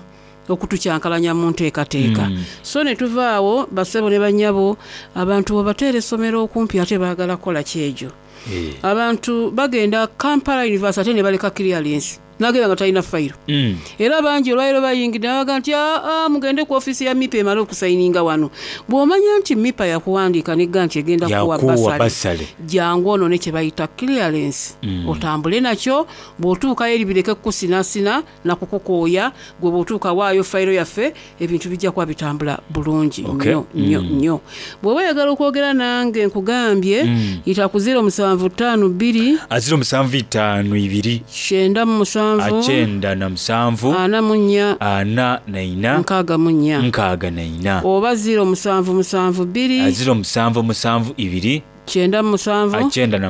okutukyankalanya mu nteekateeka. So ne tuvaawo basebo ne bannyabo, abantu bwe bateera essomero okumpi ate baagala kukola kyegyo. Abantu bagenda Kampala University ate ne baleka clearance. Nagenda nga talina fayiro. Era bangi olwaliro bayingidde baga nti aa mugende ku ofiisi ya MIPA emale okusayininga wano. Bw'omanya nti MIPA yakuwandiika negga nti egenda kuwa Yakuwa basale, basale. jangu ono ne kye bayita clearance. Otambule nakyo, bw'otuukayo eri bireke kukusinasina na kukukooya, gwe bw'otuuka waayo fayiro yaffe ebintu bijja kuba bitambula bulungi Okay. nnyo nnyo nnyo. Bw'oba oyagala okwogera nange nkugambye yita ku 0752 0752 97 97 44 44 64 64. Oba 0772 0772 97 97 44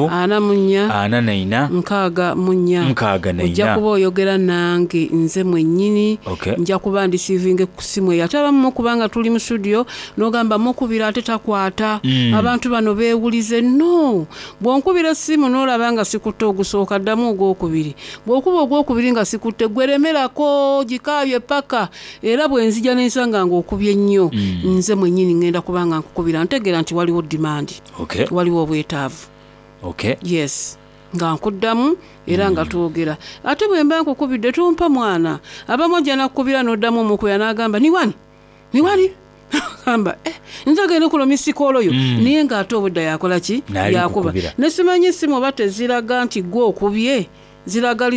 44 64. 64. Ojja kuba oyogera nange nze mwennyini. Okay. Nja kuba ndisiivinga ku ssimu eyo. Ate abamu kubanga tuli mu studio n'ogamba mukubira ate takwata. Abantu bano beewulize. No, bw'onkubira essimu n'olaba nga sikutte ogusooka, ddamu ogwokubiri. Bw'okuba ogwokubiri nga sikutte, gwe lemerako gikaabye paka. Era bwe nzija ne nsanga ng'okubye nnyo, nze mwennyini ŋŋenda kuba nga nkukubira ntegeera nti waliwo demand. Okay. Waliwo obwetaavu. Okay. Yes. Nga nkuddamu era nga twogera. Ate bwe mba nkukubidde tumpa mwana. Abamu ojja nakukubira n'oddamu omukubira n'agamba ni wani? Ni wani? Agamba, nze agenda okulo misikoolo yo. Naye ng'ate obudda yakola ki? N'ali Yakuba. kukubira. Ne simanyi essimu oba teziraga nti gwe okubye. Ziraga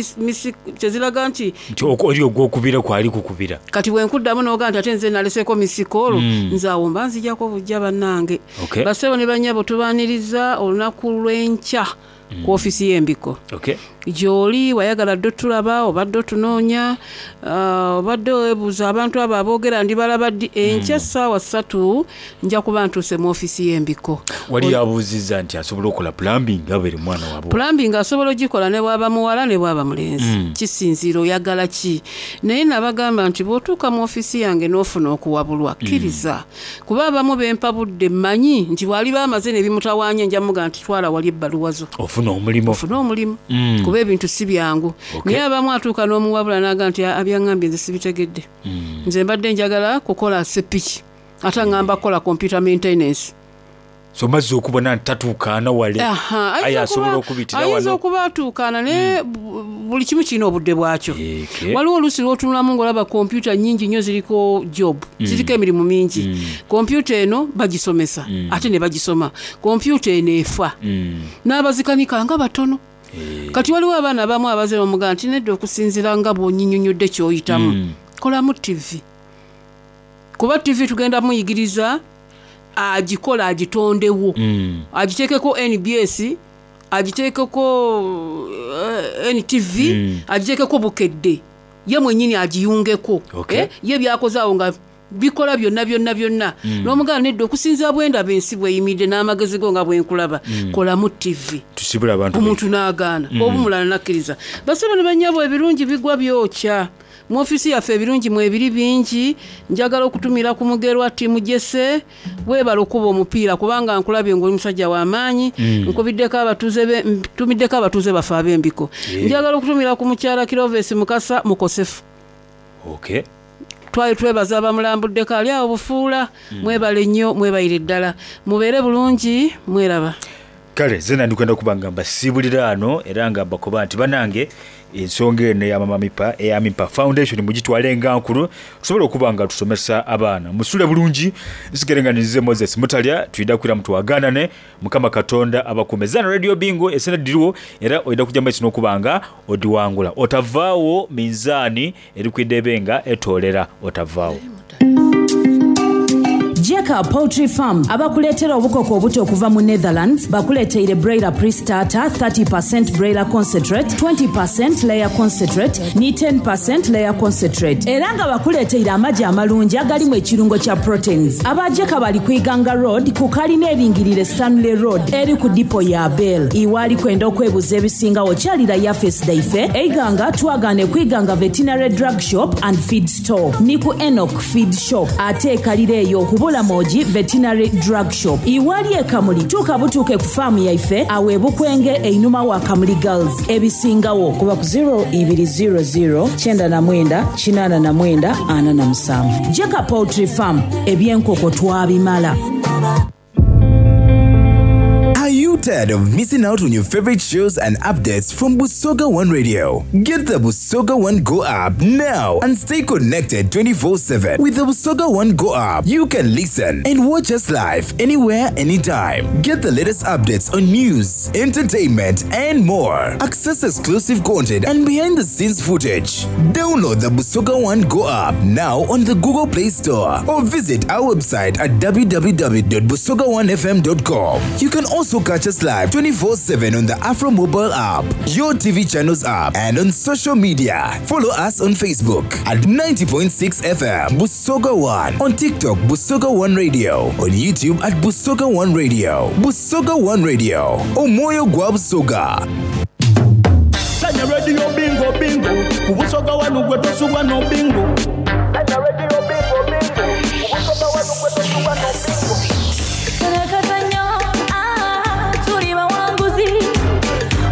teziraga nti Nti oli ogwokubira kwali kukubira. Kati bwenkuddamu noga nti ate nze naleseeko misikoolo Mm. nze awo mba nzijako bujja bannange. Okay. Basebo ne bannyabo tubaaniriza olunaku lw'enkya ku ofiisi y'embiko. Okay. Gy'oli wayagala dde otulaba obadde otunoonya obadde weebuuza abantu abo aboogera ndibalaba ddi enkya ssaawa 3 nja kuba ntuuse mu ofiisi y'embiko. Wali yabuuzizza nti asobola okukola plumbing abeere mwana waabwe. Plumbing asobola ogikola ne bw'aba muwala ne bw'aba mulenzi. Kisinziira oyagala ki. Naye nabagamba nti bw'otuuka mu ofiisi yange n'ofuna okuwabulwa kkiriza. Kuba abamu bempabudde mmanyi nti bw'aliba amaze ne bimutawaanya nja mugamba nti twala wali ebbaluwa zo. Ofuna omulimu. Ofune omulimu. Kuba ebintu si byangu. Okay. Naye abamu atuuka n'omuwabula n'agamba nti abyaŋŋambye nze sibitegedde. Nze mbadde njagala kukola sepiki ate aŋŋamba kukola computer maintenance. So mazzi okubona nti tatuukaana wale. Aha, Aye ayinza asobola okubitira ayinza wano. okuba atuukaana naye buli kimu kirina obudde bwakyo. Okay. Waliwo oluusi lw'otunulamu ng'olaba kompyuta nnyingi nnyo ziriko job, ziriko emirimu mingi. Kompyuta eno bagisomesa ate ne bagisoma. Kompyuta eno efa. N'abazikanika nga batono. Kati waliwo abaana abamu abaze bamugamba nti nedda okusinziira nga bw'onyinyonnyodde ky'oyitamu. Kolamu TV. Kuba TV tugenda muyigiriza agikola agitondewo. Agiteekeko NBS, agiteekeko NTV, agiteekeko Bukedde. Ye mwennyini agiyungeko. Okay. Ye byakoze awo nga bikola byonna byonna byonna. N'omugamba nedda okusinziira bwendaba ensi bweyimiridde n'amagezi go nga bwenkulaba. Kolamu TV. Tusibule abantu. Omuntu n'agaana oba omulala nakkiriza. Basebo ne bannyabo ebirungi bigwa byokya. Mu ofiisi yaffe ebirungi mwebiri bingi. Njagala okutumira ku Mugerwa ttiimu Jesse weebale okuba omupiira kubanga nkulabye ng'oli musajja w'amaanyi. Nkubiddeko abatuuze be ntumiddeko abatuuze baffe ab'embiko. Njagala okutumira ku mukyala Kirovesi Mukasa mukosefu. Okay. Twali twebaza abamulambuddeko ali awo bufuula. Mwebale nnyo mwebayire ddala. Mubeere bulungi mweraba. Kale ze nandikwenda okuba nga mbasiibulira ano era nga mbakoba nti banange ensonga eno eya Mama Mipa eya Mipa Foundation mugitwale nga nkulu tusobole okuba nga tusomesa abaana. Musule bulungi nsigale nga ninze Moses Mutalya tuyida kwira mutwaganane Mukama Katonda abakume. Zana Radio Bingo esena diriwo era oyida kujja maiso n'okuba nga odiwangula. Otavaawo minzaani eri kwidebe nga etoolera otavaawo. Jeka Poultry Farm abakuleetera obukoko obuto okuva mu Netherlands bakuleeteire broiler pre-starter 30% broiler concentrate 20% layer concentrate ni 10% layer concentrate era nga bakuleeteire amagi amalungi agalimu ekirungo kya proteins. Aba Jeka bali ku Iganga Road ku kalina eringirire Stanley Road eri ku dipo ya Bell. Iwaali kwenda okwebuuza ebisingawo kyalira yafesi daife Eiganga twagaane ku Iganga Veterinary Drug Shop and Feed Store ni ku Enoch Feed Shop ate ekalira eyo kubula Moji Veterinary Drug Shop. Iwali ekamuli tuuka butuuke ku faamu yaife awo ebukwenge einuma wa Kamuli Girls. Ebisingawo kuba ku 0200 99 89 47. Jeka Poultry Farm ebyenkoko twabimala. Are you tired of missing out on your favorite shows and updates from Busoga One Radio? Get the Busoga One Go app now and stay connected 24/7. With the Busoga One Go app, you can listen and watch us live anywhere, anytime. Get the latest updates on news, entertainment, and more. Access exclusive content and behind-the-scenes footage. Download the Busoga One Go app now on the Google Play Store or visit our website at www.busoga1fm.com. You can also catch us live 24/7 on the Afro Mobile app, your TV channels app, and on social media. Follow us on Facebook at 90.6 FM Busoga One, on TikTok Busoga One Radio, on YouTube at Busoga One Radio. Busoga One Radio, Omoyo gwa Busoga. Sanya Radio Bingo Bingo, ku Busoga wano gwe tosubwa no bingo. Sanya Radio Bingo Bingo, ku Busoga wano gwe tosubwa no bingo. Kalakazanyo, tuli bawanguzi.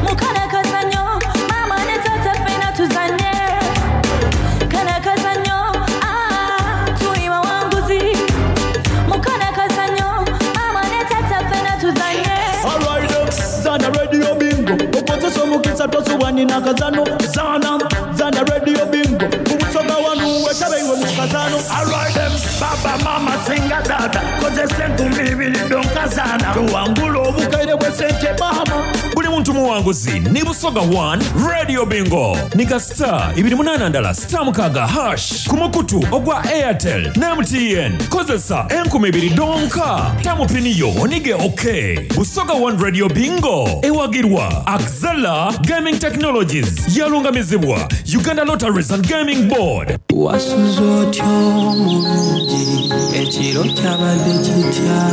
Mukalakazanyo, mama ne tata ffenna tuzanye. Kalakazanyo, tuli bawanguzi. Mukalakazanyo, mama ne tata ffenna tuzanye. Alright, Zana Radio Bingo, okozesa omukisa tosubwa nina kazano. Zana, Zana Radio Bingo, ku Busoga wano wetabe iwe mu kazano. Alright, baba mama singa tata, kozesa enkumbi ibiri donka zana. Tuwangula obukaire bw'essente bahama. Buli muntu Muntu muwanguzi ni Busoga One Radio Bingo. Ni ka star 28 ndala star 6 hash ku mukutu ogwa Airtel ne MTN. Kozesa 2000 donka. Tamu pini yo onige okay. Busoga One Radio Bingo ewagirwa Axela Gaming Technologies yalungamizibwa Uganda Lotteries and Gaming Board. Wasuze otya omulungi ekiro kyabadde kitya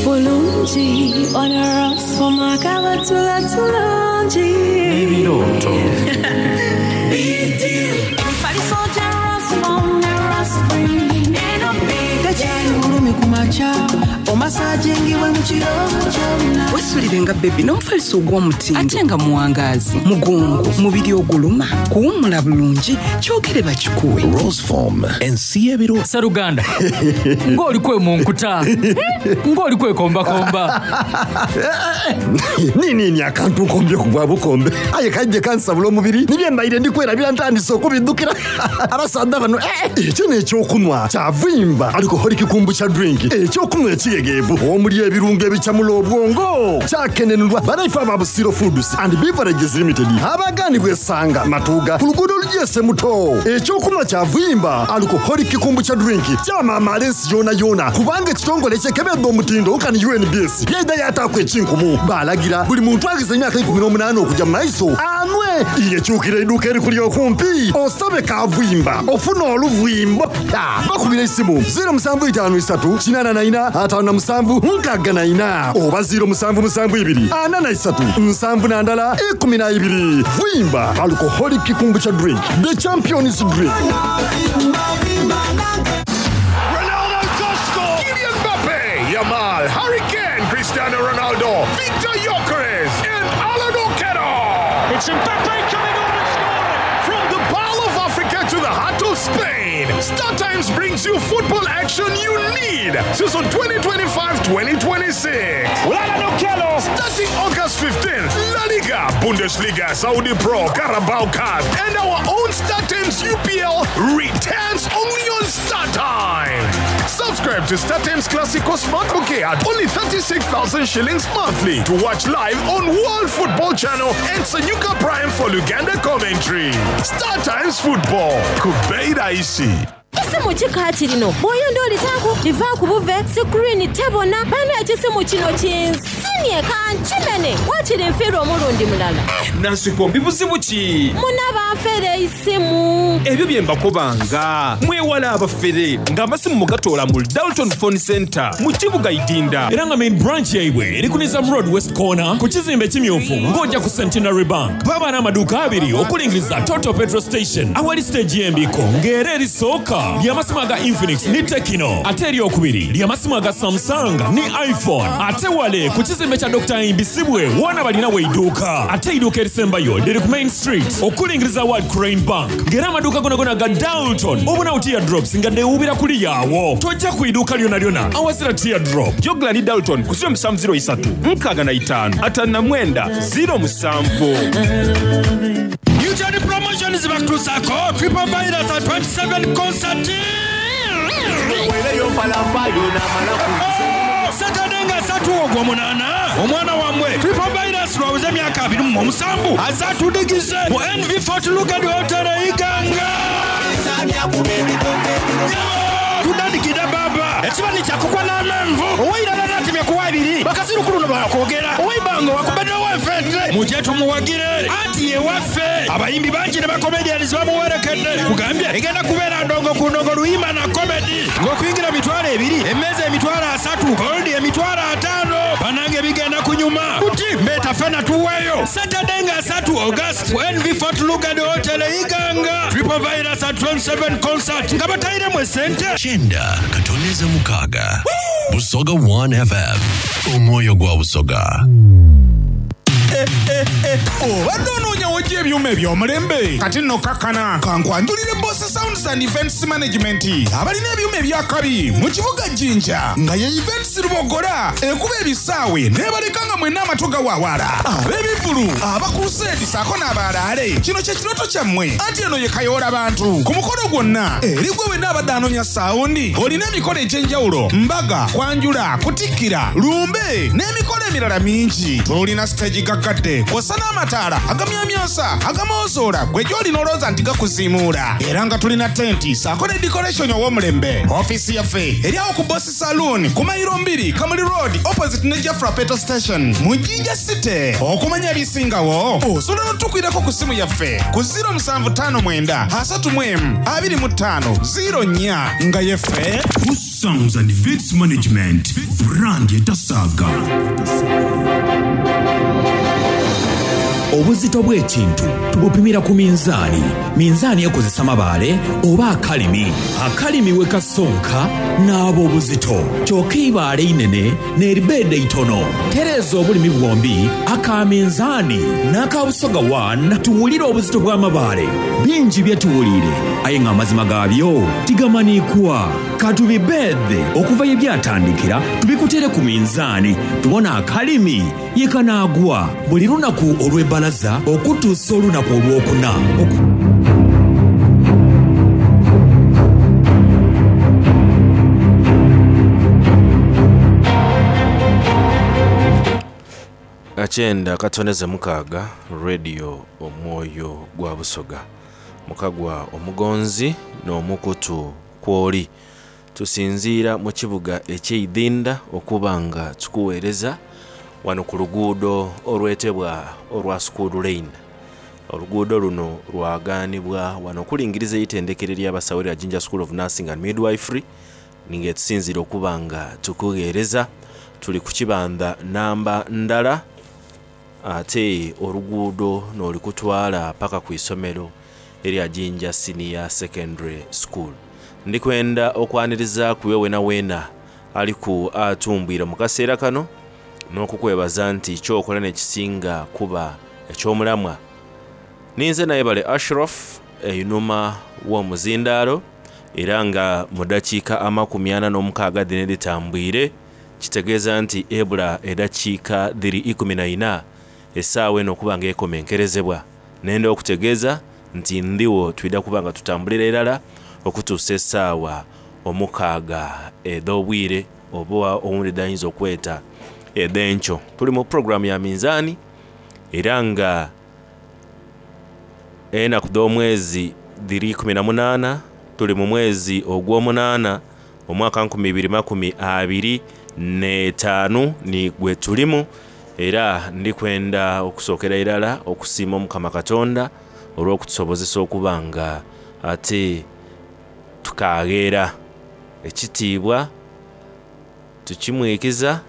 Bulungi onarasoma kabatula tulungi Ebirooto. Emifaliso gya Rasmom ne Rasfree eno Tekyali bulumi ku makya omasajingibwe mu kiro kyonna Wesulire nga bebi n'omufaliso ogw'omutindo ate nga muwangaazi mugongo mubiri oguluma kuwummula bulungi kyogere bakikuwe. Roseform ensi y'ebiro. Seruganda ng'oli kwe mu nkuta ng'oli kwekombakomba. Ninini akantu nkombye ku bwa bukombe aye kajje kansabula omubiri nibye mbaire ndikwerabira ntandise okubidukira abasaadha bano ekyo n'ekyokunwa kyavimba alcoholic kombucha drink ekyokunwa ekiyegeevu omuli ebirungo ebicamula obwongo kyakenenulwa banaife aba Busiro Foods and Beverages Limited abaganibwa esanga Matuga ku luguudo olugyese muto. Ekyokunwa kyavimba alcoholic kombucha drink kyamamala ensi yona yona kubanga ekitongole ekyekebedde omutindo nkani UNBS yaida yataaku ekinkumu balagira buli muntu agize emyaka 18 okujja mu maiso anwe yekyukira eduuka erikuli okumpi osabe kavimba ofuna oluvimbo. Bakubira esimu 0753 84 57 64 oba 0772 43 71 12. Vimba alcoholic kombucha drink, the champions drink. Ronaldo does score! Kylian Mbappe, Yamal, Harry Kane, Cristiano Ronaldo, Victor Gyökeres, and Alan Okello. It's Mbappe coming on and scoring! From the Pearl of Africa to the heart of Spain, Star Times brings you football action you need. Season 2025-2026. Alan Okello. Starting August 15th, La Liga, Bundesliga, Saudi Pro, Carabao Cup, and our own Star Times UPL returns only on Star Times. Subscribe to Star Times Classico Smart Bouquet at only 36,000 shillings monthly to watch live on World Football Channel and Sanyuka Prime for Uganda commentary. Star Times Football. Kubeira isi. Ekisimu kika kirino bw'oyonda olitaaku livaaku buve sikurini tebona bana ekisimu kino kinsinye kankimene wakiri nfiirwa omulundi mulala. Nansikombi buzibu ki? Muna banfere isimu. Ebyo bye mbakobanga mwewala abafere ng'amasimu mugatoola mu Dalton Phone Center mu kibuga Idinda. Era nga main branch yaibwe eri ku Nizam Road West Corner ku kizimbe ekimyufu ng'ojja ku Centenary Bank. Baba n'amaduuka abiri okulingiriza Toto Petrol Station awali stage y'embiko ng'era erisooka ly'amasimu aga Infinix ne Tecno ate eryokubiri ly'amasimu aga Samsung ne iPhone ate wale ku kizimbe kya Dr. Imbisibwe wona balina weidduuka ate eiduuka erisembayo liri ku Main Street okulingiriza World Crane Bank ng'era amaduuka gonagona ga Dalton obunawo teardrops nga dewubira kuli yaawo tojja ku iduuka lyona lyona awazira teardrop. Jogla ni Dalton ku 0703 65 59 07. Newton Promotions bakutuusako Triple Virus at 27 concert. Saturday nga 3 ogw'omunaana omwana wammwe Triple Virus lwawuze emyaka 27 azze atudigize mu NV Fort Lugard Hotel e Iganga. Tudandikira baba ekibani kyakukwa n'amenvu owairala natemya kuwa ebiri bakasirukulu no bakwogera owaibanga wakubadde owenfente mujje tumuwagire anti yewaffe abayimbi bangi ne bakomedians bamuwerekedde kugambye egenda kubeera ndongo ku ndongo luyimba na komedi ng'okuyingira 20,000 emmeeza 30,000 goldi 50,000 banange bigenda kunyuma kuti mbeeta fena tuweeyo Saturday nga 3 August ku NV Fort Lugard Hotel e Iganga Triple Virus at 27 concert nga batayiremu esente. 9.6 Busoga 1 FM omwoyo gwa Busoga. Obadde onoonya. n'okuggya ebyuma eby'omulembe? Kati nno kakkana kankwanjulire Boss Sounds and Events Management abalina ebyuma eby'akabi mu kibuga Jinja nga ye Events Lubogola ekuba ebisaawe n'ebaleka nga mwenna amatu gawawaala. Ab'ebivvulu, aba Crusade ssaako n'abaalaale, kino kye kirooto kyammwe anti eno ye Kayoola bantu ku mukolo gwonna. Eri gwe wenna abadde anoonya saawundi, olina emikolo egy'enjawulo, mbaga, kwanjula, kutikkira, lumbe n'emikolo emirala mingi. Tulina siteegi gaggadde kw'ossa n'amataala agamyamyansa, agamoozoora gwe gy'oli n'olowooza nti gakuziimuula. Era nga tulina tenti ssaako ne decoration ow'omulembe. Ofiisi yaffe eri awo ku Boss Saloon ku mayiro mbiri Kamuli Road opposite ne Jafra Petrol Station mu Jinja City. Okumanya ebisingawo osobola n'otukwirako ku ssimu yaffe ku 0759 31 25 04 nga yeffe Sounds and Events Management, brand etasaaga. Obuzito bw'ekintu tubupimira ku minzaani. Minzaani ekozesa mabaale oba akalimi. Akalimi we kasonka n'aba obuzito. Kyoka eibaale einene n'eribeeda eitono. Tereeza obulimi bwombi, aka minzaani n'aka Busoga One tuwulire obuzito bw'amabaale. Bingi bye tuwuliire aye nga amazima gaabyo tigamaniikwa. Ka tubibeedhe okuva ye byatandikira tubikuteere ku minzaani tubone akalimi ye kanaagwa buli lunaku olw'ebbalaza okutuusa olunaku olwokuna. Akyenda katoneze mukaaga Radio Omwoyo gwa Busoga mukagwa omugonzi n'omukutu kwoli. Tusinziira mu kibuga eky'e Idhindha okuba nga tukuweereza wano ku luguudo olwetebwa olwa School Lane. Oluguudo luno lwagaanibwa wano okulingiriza eitendekero ery'abasawo erya Jinja School of Nursing and Midwifery nga etusinziira okuba nga tukugheereza. Tuli ku kibandha namba ndala ate oluguudo n'olikutwala paka ku isomero erya Jinja Senior Secondary School. Ndi kwenda okwanhirizaaku iwe wenaweena aliku atumbwire mu kaseera kano n'okukwebaza nti ky'okola n'ekisinga kuba eky'omulamwa. Ninze Nayebale Ashraf einhuma w'omuzindaalo era nga mu dakiika amakumi ana n'omukaaga dhino edhitambwire kitegeeza nti ebula edakiika dhiri ikumi na ina esaawa eno okuba nga ekomenkerezebwa. Nenda okutegeeza nti ndhigho twidha kuba nga tutambulira irala okutuusa esaawa omukaaga edh'obwire oba owundi dhayinza okweta edh'enkyo. Tuli mu pulogulaamu ya Minzaani era nga enaku dh'omwezi dhiri 18, tuli mu mwezi ogw'omunaana omwaka 2025 ni gwetulimu era ndi kwenda okusookera irala okusiima Omukama Katonda olw'okutusobozesa okuba nga ate tukaagheera ekitiibwa tukimwikiza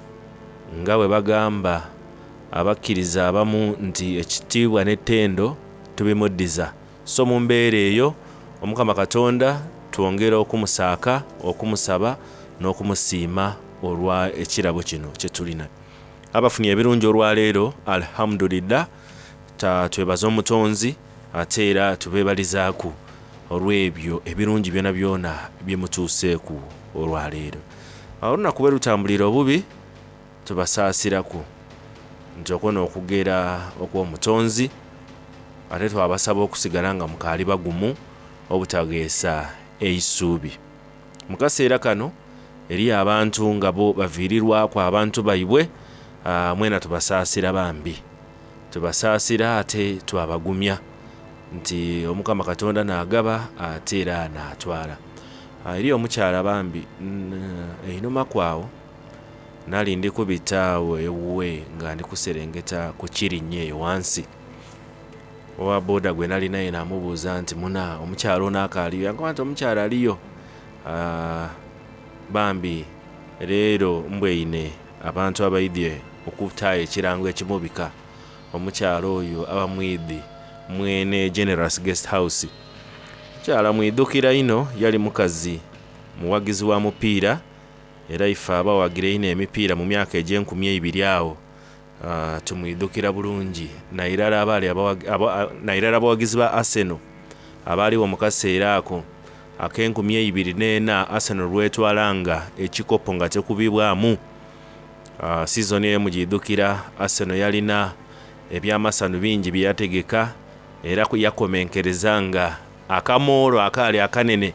nga bwe bagamba abakiriza abamu nti ekitiibwa n'ettendo tubimuddiza. So mu mbeera eyo Omukama Katonda twongera okumusaaka, okumusaba n'okumusiima olwa ekirabo kino kye tulina. Abafunye ebirungi olwaleero Alhamudulillah ta twebaza Omutonzi ate era tubebalizaaku olw'ebyo ebirungi byonabyona bye mutuuseeku olwaleero. Olunaku bwe lutambuliire obubi tubasaasiraku nti okwo n'okugera okw'Omutonzi ate twabasaba okusigala nga mukaali bagumu obutagheesa eisuubi. Mu kaseera kano eriyo abantu nga bo baviirirwaku abantu baibwe, mwena tubasaasira bambi. Tubasaasira ate twabagumya nti Omukama Katonda naagaba ate era naatwala. Eriyo omukyala bambi einhumaku agho nali ndi kubita agho ewuwe nga ndi kuserengeta ku kirinnya eyo ghansi. Owa boda gwe nali naye namubuuza nti muna omukyala ono akaaliyo? Yankoba nti omukyala aliyo. Bambi leero mbweine abantu abaidhye okutaayo ekirango ekimubika. Omukyala oyo aba mwidhi mwene Generous Guest House. Omukyala mwidhukira inho, yali mukazi muwagizi wa mupiira era ife abawagira einho emipiira mu myaka egy'enkumi eibiri agho. Tumwidhukira bulungi nairala abaali nairala abawagizi ba Arsenal abaaligho mu kaseera ako ak'enkumi eibiri n'ena Arsenal lwetwala nga ekikopo nga tekubibwamu. Sizoni eyo mugiidhukira Arsenal yalina eby'amasanhu bingi bye yategeka era yakomenkereza nga akamoolo akaali akanene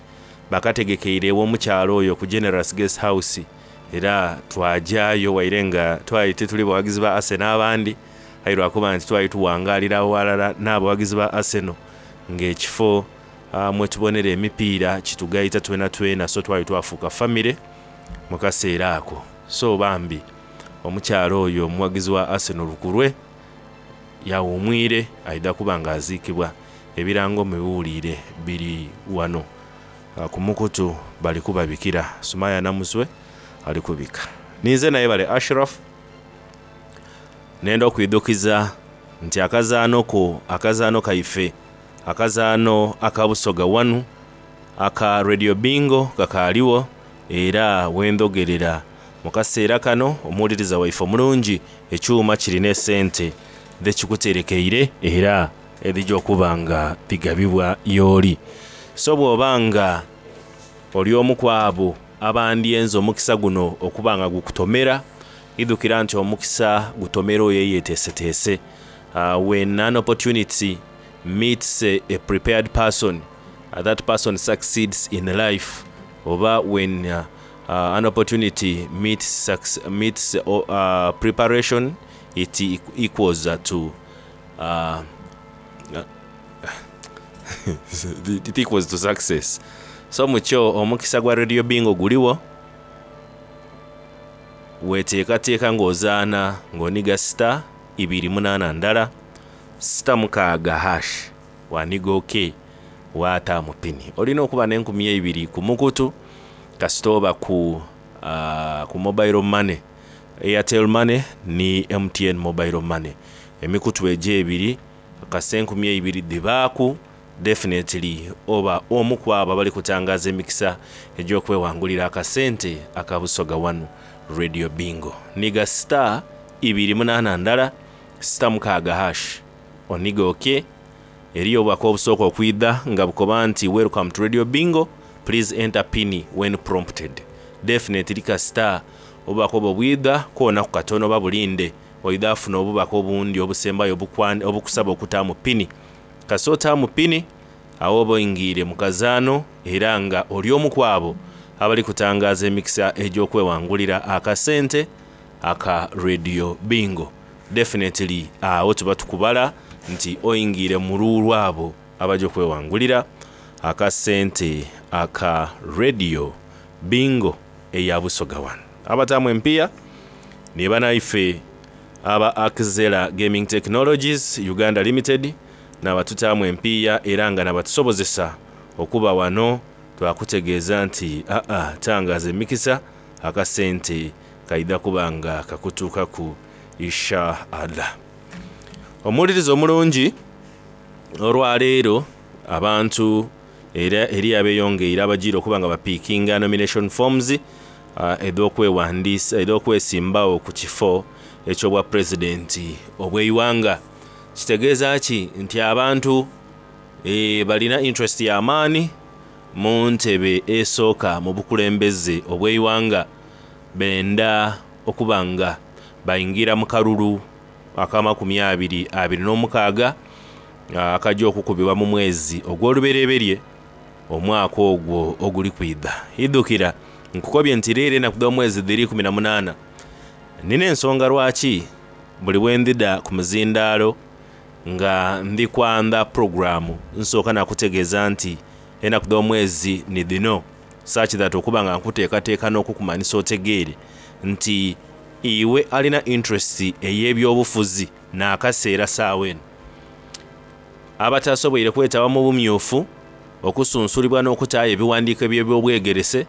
bakategekeire ew'omukyala oyo ku Generous Guest House era twajayo waire nga twali tituli bawagizi ba Arsenal abandi aye lwakuba nti twali tuwangaalira aghalala n'abawagizi ba Arsenal ng'ekifo mwetubonera emipiira kitugaita twenatwena so twali twafuuka famire mu kaseera ako. So bambi omukyala oyo omuwagizi wa Arsenal lukulwe yawuumwire aidha kuba nga aziikibwa. Ebirango mubiwuliire biri wano ku mukutu bali kubabikira. Sumaya Namuswe ali kubika. Ninze Nayebale Ashraf. Nenda okwidhukiza nti akazaano ko, akazaano kaife, akazaano aka Busoga Wanu aka Radio Bingo kakaaligho era wendhogerera mu kaseera kano omuwuliriza waife omulungi ekyuma kiri n'esente dhekikuterekeire era edhija okuba nga dhigabibwa y'oli. So bw'oba nga oli omu ku abo abandyenze omukisa guno okuba nga gukutomera, idhukira nti omukisa gutomera oyo eyeteeseteese. When an opportunity meets a prepared person, that person succeeds in life oba when an opportunity meets, meets preparation, it equals to it equals to success. So mukyo omukisa gwa Radio Bingo guligho, weteekateeka ng'ozaana ng'oniga star ibiri munaana ndala star mukaaga hash waniga OK waataamu pini. Olina okuba n'enkumi eibiri ku mukutu kasita oba ku, uh, ku mobile money, Airtel money ni MTN mobile money. Emikutu egyo ebiri kasita enkumi eibiri dhibaaku definitely oba omu ku abo abali kutangaaza emikisa egy'okwewangulira akasente aka Busoga One Radio Bingo. Niga star ibiri munaana ndala star mukaaga hash onige OK. Eriyo obubaka obusooka okwidha nga bukoba nti welcome to Radio Bingo, please enter pin when prompted. Definitely kasita obubaka obwo bwidha kwonaku katono oba bulinde oidha funa obubaka obundi obusembayo obukusaba okutaamu pini. Kasita otaamu pini, agho oba oingiire mu kazaano era nga oli omu ku abo abali kutangaaza emikisa egy'okwewangulira akasente aka Radio Bingo. Definitely agho tuba tukubala nti oingiire mu luwu lw'abo abaja okwewangulira akasente aka Radio Bingo eya Busoga One. Abataamu empiiya ni banaife aba Axela Gaming Technologies Uganda Limited n'abatutaamu empiiya era nga n'abatusobozesa okuba wano twakutegeeza nti aa tangaaza emikisa akasente kaidha kuba nga kakutuukaku Isha Allah. Omuwuliriza omulungi, olwaleero abantu era eriyo abeyongeire abajiire okuba nga bapiikinga nomination forms edh'okwewandiisa edh'okwesimbagho ku kifo eky'obwa pulezidenti obw'eighanga. Kitegeeza ki nti abantu balina interest ya maani mu ntebe esooka mu bukulembeze obw'eighanga benda okuba nga baingira mu kalulu ak'amakumi abiri abiri n'omukaaga akaja okukubibwa mu mwezi ogw'olubereberye omwaka ogwo oguli kwidha. Idhukira nkukobye nti leero enaku dh'omwezi dhiri 18. Nina ensonga lwaki buli bwe ndhidha ku muzindaalo nga ndi kwandha pulogulaamu nsooka nakutegeeza nti enaku dh'omwezi ni dhino such that okuba nga nkuteekateeka n'okukumanhisa otegeere nti iwe alina interest ey'ebyobufuzi n'akaseera saawa eno. Abatasoboire kwetaba mu bumyufu, okusunsulibwa n'okutaayo ebiwandiiko eby'ebyobwegerese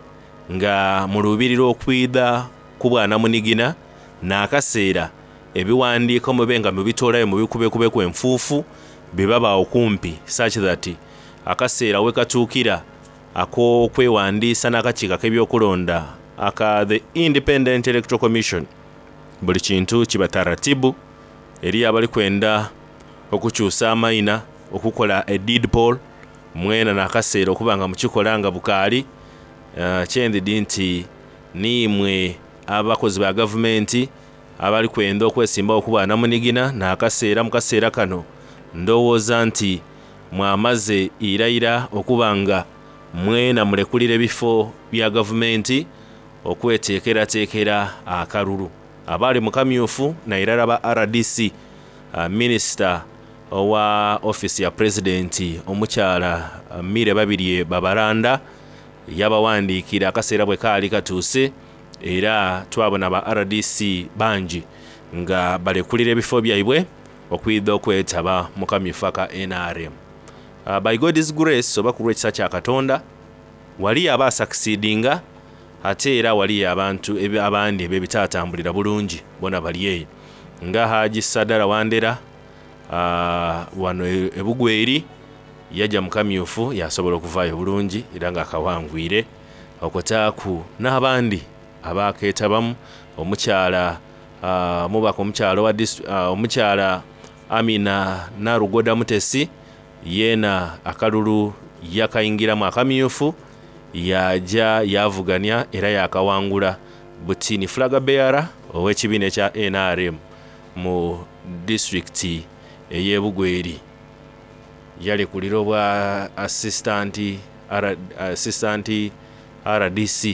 nga muluubirira okwidha ku bwanamunigina n'akaseera ebiwandiiko mube nga mubitoolayo mubikubekubeku enfuufu bibaba agho kumpi such that akaseera wekatuukira ak'okwewandiisa n'akakiiko ak'ebyokulonda aka the Independent Electoral Commission buli kintu kiba taratibu. Eriyo abali kwenda okukyusa amaina, okukola a deed poll, mwena n'akaseera okuba nga mukikola nga bukaali. Kyendhidi nti niimwe abakozi ba gavumenti abali kwenda okwesimbawo okuba namunigina n'akaseera mu kaseera kano ndowooza nti mwamaze ira ira okuba nga mwena mulekulira ebifo bya gavumenti okweteekerateekera akalulu. Abaali mu kamyufu nairala ba rdc, Minisita owa ofiisi ya Pulezidenti omukyala Milly Babirye Babalanda yabawandiikira akaseera bwekaali katuuse era twabona ba rdc bangi nga balekulira ebifo byaibwe okwidha okwetaba mu kamyufu aka nrm. By God's grace oba ku lw'ekisa kya Katonda, Waliyo abaasakisidinga ate era waliyo abantu abandi bebitaatambulira bulungi bona bali eyo nga Haji Sadala Wandera wano e Bugweri yaja mu kamyufu yaasobola okuvaayo bulungi era nga akawangwire okutaaku n'abandi abaaketabamu omukyala omubaka omukyala owa omukyala Amina Nalugoda Mutesi Yeena akalulu yakaingiramu akamyufu yaaja yaavugania era yaakawangula. Buti ni Flag Bearer ow'ekibiina ekya nrm mu disitulikiti ey'e Bugweri. Yalekulira obwa Assistant rdc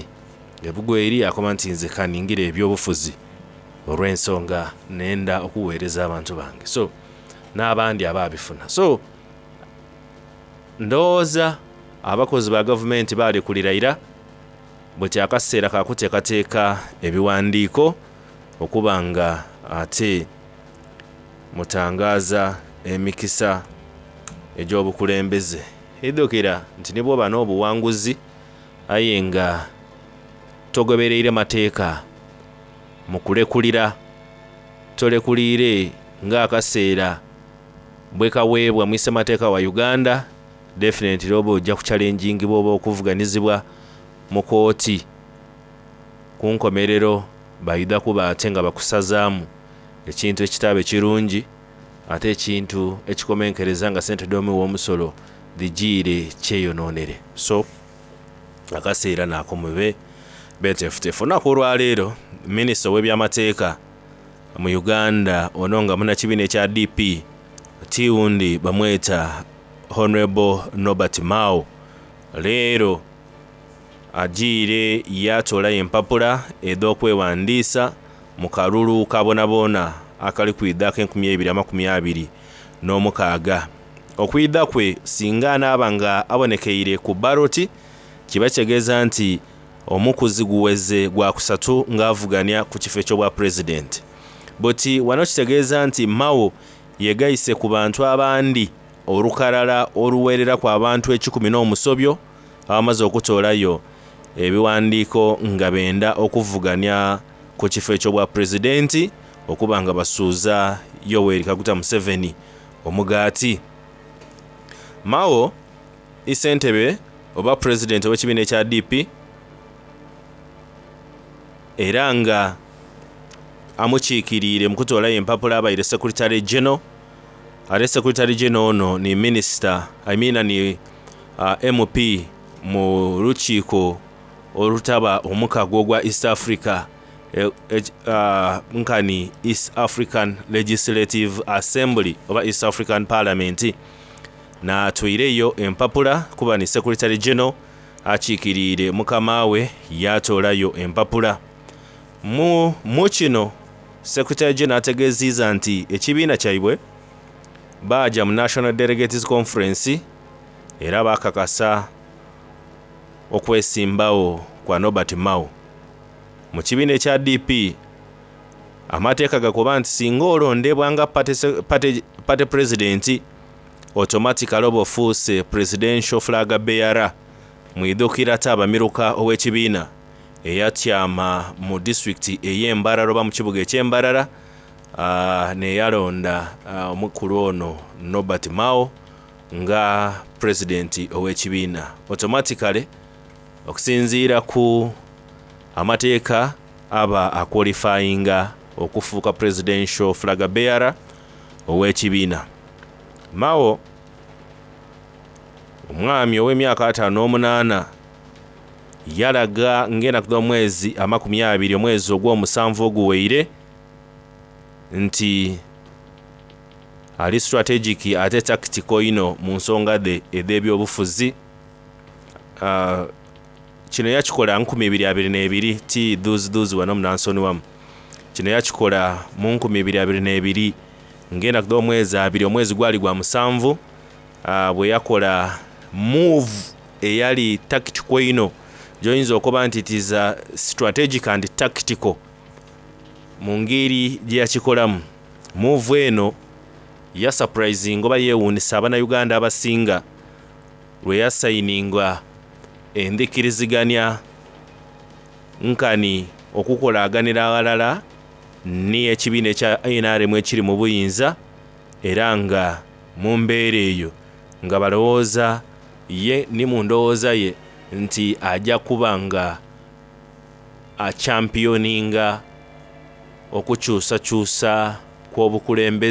e Bugweri yaakoba nti nze kaningire eby'obufuzi olw'ensonga nenda okuweereza abantu bange. So. n'abandi abaabifuna. So, ndowooza abakozi ba gavumenti baalekulira ira buti akaseera ka kuteekateeka ebiwandiiko okuba nga ate mutangaaza emikisa egy'obukulembeze. Idhukira nti ni bw'oba n'obuwanguzi aye nga togobereire mateeka mu kulekulira, Tolekuliire nga akaseera bwekaweebwa mu issemateeka wa Uganda, definitely oba oja kuchalengingibwa oba okuvuganizibwa mu kooti. Kunkomerero baidha kuba ate nga bakusazaamu ekintu ekitaabe kirungi ate ekintu ekikomenkereza nga sente dh'omuwi w'omusolo dhijiire kyeyononere. So akaseera naako mube beteefuteefu. Olunaku olwaleero minisita ow'ebyamateeka mu Uganda ono nga munakibiina ekya DP ti wundi bamweta Honourable Norbert Mao leero ajiire yaatoolayo empapula edh'okwewandiisa mu kalulu ka boonaboona akali kwidha ak'enkumi eibiri amakumi abiri n'omukaaga. Okwidha kwe singa anaaba nga abonekeire ku ballot kiba kitegeeza nti Omukuzi guweze gwa kusatu nga avugania ku kifo eky'obwapulezidenti. Buti wano kitegeeza nti Mao yegaise ku bantu abandi olukalala oluwereraku abantu ekikumi n'omusobyo abamaze okutoolayo ebiwandiiko nga benda okuvugania ku kifo eky'obwapulezidenti okuba nga basuuza Yoweri Kaguta Museveni omugaati. Mao Ssentebe oba Pulezidenti ow'ekibiina ekya DP era nga amukiikiriire mu kutoolayo empapula abaire Secretary General ate Secretary General ono ni Minisita I mean ni MP mu lukiiko olutaba omukago ogwa East Africa nkani East African Legislative Assembly oba East African Parliament. N'atoireyo empapula kuba ni Secretary General akiikiriire mukama we yaatoolayo empapula. Mu mu kino Secretary General ategeziiza nti ekibiina kyaibwe baaja mu National Delegates Conference era baakakasa okwesimbagho kwa Norbert Mao mu kibiina ekya DP. Amateeka gakoba nti singa olondebwa nga party, party president, Automatically oba ofuuse Presidential Flag Bearer. Mwidhukira Ttabamiruka ow'ekibiina eyatyama mu disitulikiti ey'e Mbarara oba mu kibuga eky'e Mbarara n'eyalonda omukulu ono Norbert Mao nga Pulezidenti ow'ekibiina. Automatically okusinziira ku amateeka aba akwolifayinga okufuuka Presidential Flag Bearer. Ow'ekibiina Mao, omwami ow'emyaka 58, yalaga ng'enaku dh'omwezi 20 omwezi ogw'omusanvu oguweire nti ali strategic ate tactical inho mu nsonga dhe edh'ebyobufuzi. Kino yakikola 2022, ti dhuuzidhuuzi wano munansonighamu. Kino yakikola mu 2022 ng'enaku dh'omwezi 2 omwezi gwali gwa musanvu bweyakola move eyali tactical einho gy'oyinza okuba nti it is a strategic and tactical mu ngeri gyeyakikolamu. Move eno yasurprisinga oba yeewuunisa Abannayuganda abasinga lwe yasayininga endhikiriziganya nkani okukolaganira aghalala ni ekibiina ekya NRM ekiri mu buyinza, era nga mu mbeera eyo nga balowooza ye ni mu ndowooza ye nti aja kuba nga achampioninga okukyusakyusa kw'obukulembeze.